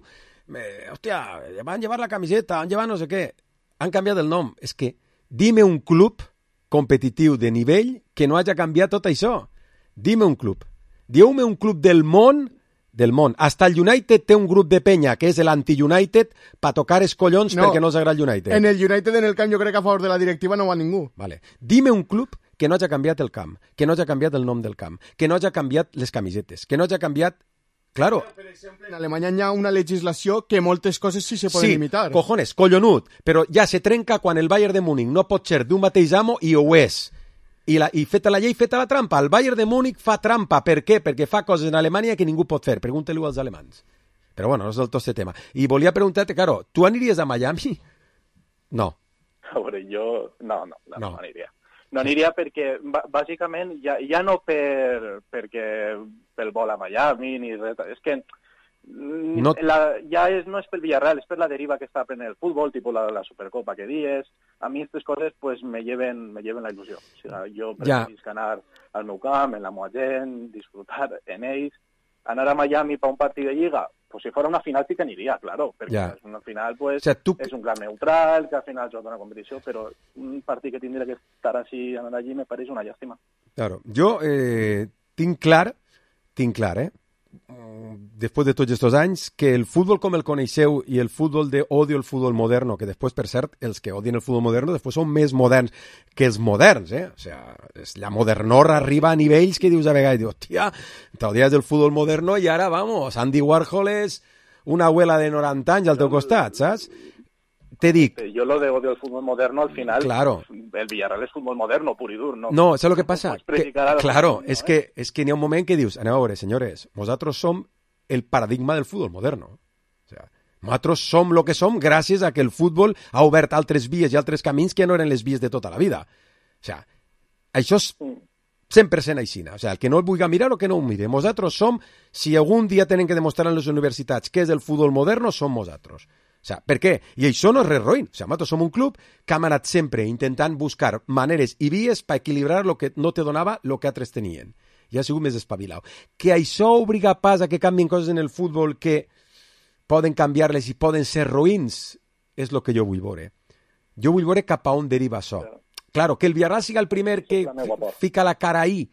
Eh, hòstia, van llevar la camiseta, han llevat no sé què. Han canviat el nom. És que dime un club competitiu de nivell que no hagi canviat tot això. Dime un club. Dieu-me un club del món, del món. Hasta el United té un grup de penya, que és l'anti-United, per tocar els collons no, perquè no els agrada el United. En el United, en el camp, jo crec que a favor de la directiva no va ningú. Vale. Dime un club que no hagi canviat el camp, que no hagi canviat el nom del camp, que no hagi canviat les camisetes, que no hagi canviat... Claro. Per exemple, en Alemanya hi ha una legislació que moltes coses sí se poden sí, limitar. Sí, cojones, collonut, però ja se trenca quan el Bayern de Múnich no pot ser d'un mateix amo i ho és. I, la, i feta la llei, feta la trampa. El Bayern de Múnich fa trampa. Per què? Perquè fa coses en Alemanya que ningú pot fer. Pregunta-li als alemans. Però bueno, no és del tot este tema. I volia preguntar-te, claro, tu aniries a Miami? No. A veure, jo... No, no, no, no. no aniria. No aniria perquè, bàsicament, ja, ja no per, perquè pel vol a Miami ni res. És que no... La, ja és, no és pel Villarreal, és per la deriva que està prenent el futbol, tipus la, la Supercopa que dies. A mi aquestes coses pues, me, lleven, me lleven la il·lusió. O sigui, jo preferisc ja. Anar al meu camp, en la meva gent, disfrutar en ells. Anar a Miami per un partit de Lliga, pues si fos una final sí que aniria, claro, perquè ja. És una final pues, o sea, tu... és un gran neutral, que al final juga una competició, però un partit que tindria que estar així, anar allí, me pareix una llàstima. Claro, jo eh, tinc clar, tinc clar, eh? Després de tots aquests anys, que el futbol com el coneixeu i el futbol de odio el futbol moderno, que després, per cert, els que odien el futbol moderno després són més moderns que els moderns, eh? O sigui, la modernora arriba a nivells que dius a vegades, dius, hòstia, t'odies del futbol moderno i ara, vamos, Andy Warhol és una abuela de noranta anys al teu costat, saps? Te dic... Jo lo de odio el futbol moderno, al final, claro. El Villarreal és futbol moderno, pur i dur, ¿no? No, ¿sabes lo que pasa? Que, claro, futbol, es, ¿no? que, es que n'hi ha un moment que dius, aneu a veure, senyores, nosaltres som el paradigma del futbol moderno. O sea, nosaltres som el que som gràcies a que el futbol ha obert altres vies i altres camins que no eren les vies de tota la vida. O sea, això és cent per cent així. O sea, el que no el vulgui mirar o que no ho mire. Nosaltres som, si algun dia tenen que demostrar en les universitats què és el futbol moderno, som nosaltres. O sea, per què? I això no és res roïn. O sea, nosaltres som un club que hem anat sempre intentant buscar maneres i vies per equilibrar el que no te donava el que altres tenien. I ha sigut més espavilau. Que això obliga pas a que canvien coses en el futbol que poden canviar-les i poden ser roïns, és el que jo vull veure. Jo vull veure cap a on deriva això. Claro, que el Villarreal siga el primer que fica la cara ahí,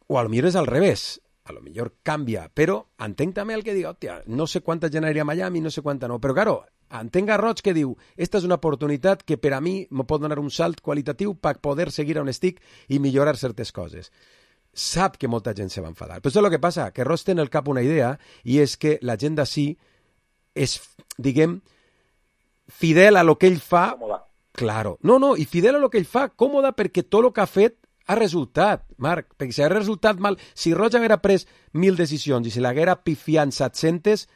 o a lo millor és al revés. A lo millor canvia, però entenc també el que diu, hòstia, no sé quanta gent aniria a Miami, no sé quanta no, però claro, entenc a Roig que diu, esta és una oportunitat que per a mi me pot donar un salt qualitatiu per poder seguir on estic i millorar certes coses. Sap que molta gent se va enfadar. Però això és el que passa, que Roig té en el cap una idea i és que la gent d'ací és, diguem, fidel a lo que ell fa. Còmoda. Claro. No, no, i fidel a lo que ell fa, còmoda perquè tot el que ha fet ha resultat, Marc, perquè si ha resultat mal, si Roig haguera pres mil decisions i si l'haguera pifiat set-centes,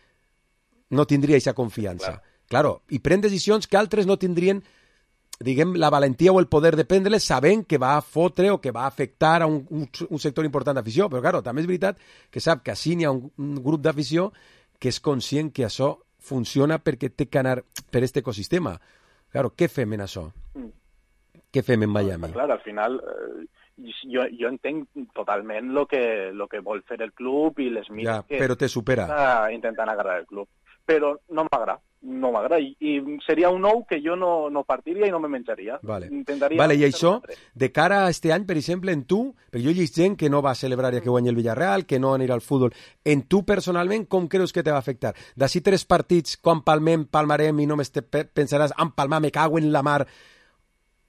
no tindria aquesta confiança. Claro. claro, i pren decisions que altres no tindrien, diguem, la valentia o el poder de prendre-les sabent que va a fotre o que va a afectar a un, un, un sector important d'afició. Però, claro, també és veritat que sap que així n'hi ha un, un grup d'afició que és conscient que això funciona perquè té que anar per aquest ecosistema. Claro, què fem en això? Mm. Què fem en Miami? Clar, al final... Eh, Jo, jo entenc totalment el que, lo que vol fer el club i les mires ja, que però te supera. Està intentant agarrar el club. Però no m'agrada, no m'agrada. I, I seria un nou que jo no, no partiria i no me menjaria. Vale, Intentaria vale i això, de cara a este any, per exemple, en tu, perquè jo he llegit gent que no va celebrar ja que guanyi el Villarreal, que no anirà al futbol. En tu, personalment, com creus que te va afectar? D'ací tres partits, quan palmem, palmarem i només te pensaràs, en palmar, me cago en la mar...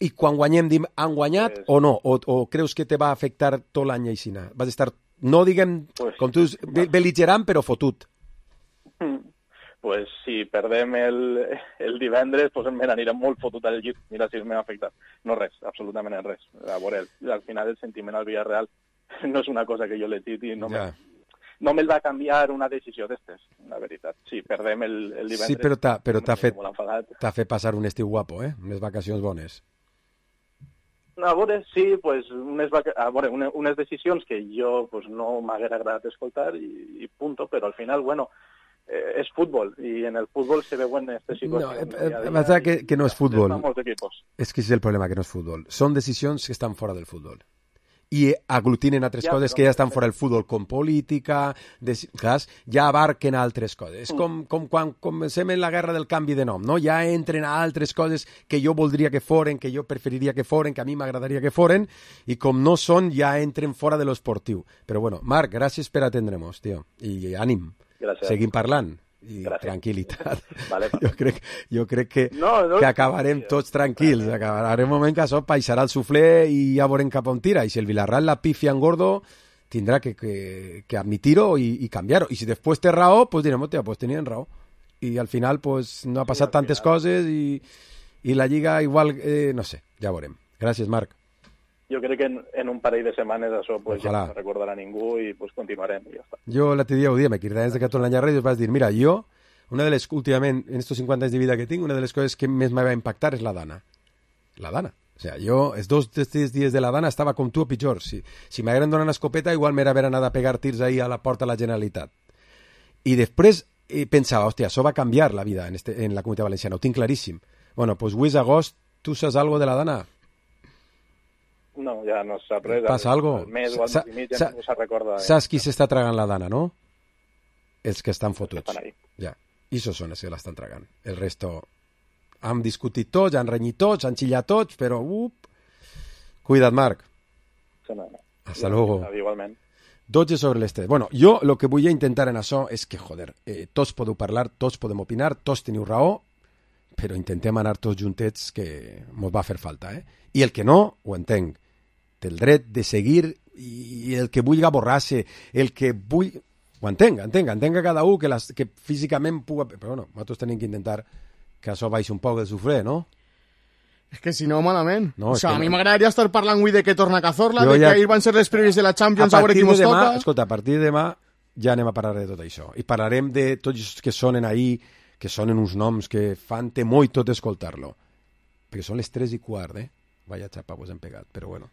I quan guanyem, dim, han guanyat pues, o no? O, o creus que te va afectar tot l'any aixina? Vas estar, no diguem, pues, com tu dius, no. bel·ligerant, però fotut. Pues si perdem el, el divendres, pues me n'anirem molt fotut al llit. Mira si m'ha afectat. No res, absolutament res. A veure, al final el sentiment al Villarreal no és una cosa que jo l'he dit i no, ja. me, no me'l va canviar una decisió d'estes, la veritat. Si perdem el, el divendres... Sí, però t'ha però fet, fet passar un estiu guapo, eh? Unes vacacions bones. A veure, sí, pues, unes, a veure, unes, unes decisions que jo pues, no m'haguera agradat escoltar i, i punto, però al final, bueno, eh, és futbol i en el futbol se veuen aquestes situacions. No, eh, que, que no és futbol. És que és el problema, que no és futbol. Són decisions que estan fora del futbol. I aglutinen altres ja, coses que ja estan fora del futbol, com política, des, clar, ja abarquen altres coses. És mm. com, com quan comencem en la guerra del canvi de nom, no? Ja entren a altres coses que jo voldria que foren, que jo preferiria que foren, que a mi m'agradaria que foren, i com no són, ja entren fora de l'esportiu. Però bueno, Marc, gràcies per atendre'ns, tio. I ànim. Gràcies. Seguim parlant. I gràcies. Tranquil·litat. Vale, vale. Jo crec, jo crec que, no, no, que acabarem tots tranquils. Acabarem un moment que això baixarà el suflé i ja veurem cap on tira. I si el Villarreal la pifia en gordo, tindrà que, que, que admitir-ho i, i canviar-ho. I si després té raó, pues direm, hòstia, pues tenien raó. I al final pues, no ha passat sí, tantes final. coses i, i la Lliga igual, eh, no sé, ja veurem. Gràcies, Marc. Jo crec que en, en un parell de setmanes això pues, ja no se recordarà ningú i pues, continuarem i ja està. Jo l'altre dia ho dia, me cridaven des de Catalunya a la ràdio i vas dir, mira, jo, una de les, últimament, en estos cinquanta anys de vida que tinc, una de les coses que més me va impactar és la Dana. La Dana. O sea, jo, els dos tres dies de la Dana estava com tu o pitjor. Si, si m'hagueren donat una escopeta, igual m'era haver anat a pegar tirs ahí a la porta de la Generalitat. I després eh, pensava, hòstia, això va canviar la vida en, este, en la Comunitat Valenciana, ho tinc claríssim. Bueno, pues avui és agost, tu saps algo de la Dana? No, ja no sap res. Passa algo? El mes o el mes i mig ja no se recorda. Saps qui s'està tragant la Dana, no? Els que estan fotuts. Que estan ja. I això són els que l'estan tragant. El resto han discutit tots, han renyit tots, han xillat tots, però... Up. Cuida't, Marc. Sí, no, no. Hasta luego. Igualment. dotze sobre les tres. Bueno, jo el que vull intentar en això és que, joder, eh, tots podeu parlar, tots podem opinar, tots teniu raó, però intentem anar tots juntets que mos va fer falta, eh? I el que no, ho entenc, té el dret de seguir i el que vulgui borrar-se, el que vull... Ho entenc, entenc, entenc que cada un que, les, que físicament puga... Però bueno, nosaltres tenim que intentar que això baixi un poc el sufré, no? És que si no, malament. No, o sigui, que a mi no. m'agradaria estar parlant avui de que torna Cazorla, jo de ja... que ahir van ser les previs de la Champions, a, a veure qui mos toca... Escolta, a partir de demà ja anem a parlar de tot això. I parlarem de tots els que sonen ahí, que sonen uns noms que fan temor i tot escoltar-lo. Perquè són les tres i quart, eh? Vaya xapa vos hem pegat, però bueno.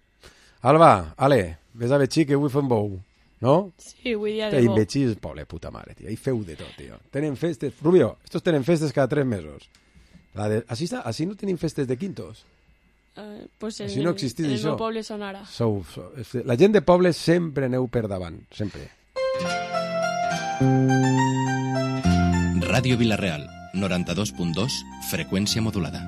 Alba, ale, ves a Betxí que avui fem bou, no? Sí, avui dia de bou. bou. Betxí és poble, puta mare, tio. Ahí feu de tot, tio. Tenen festes... Rubio, estos tenen festes cada tres mesos. La de... Així, està? Així no tenim festes de quintos? Uh, pues en, Així no existís en el això. meu poble són ara. Sou, sou, la gent de poble sempre aneu per davant, sempre. Ràdio Vilareal, noranta-dos punt dos, freqüència modulada.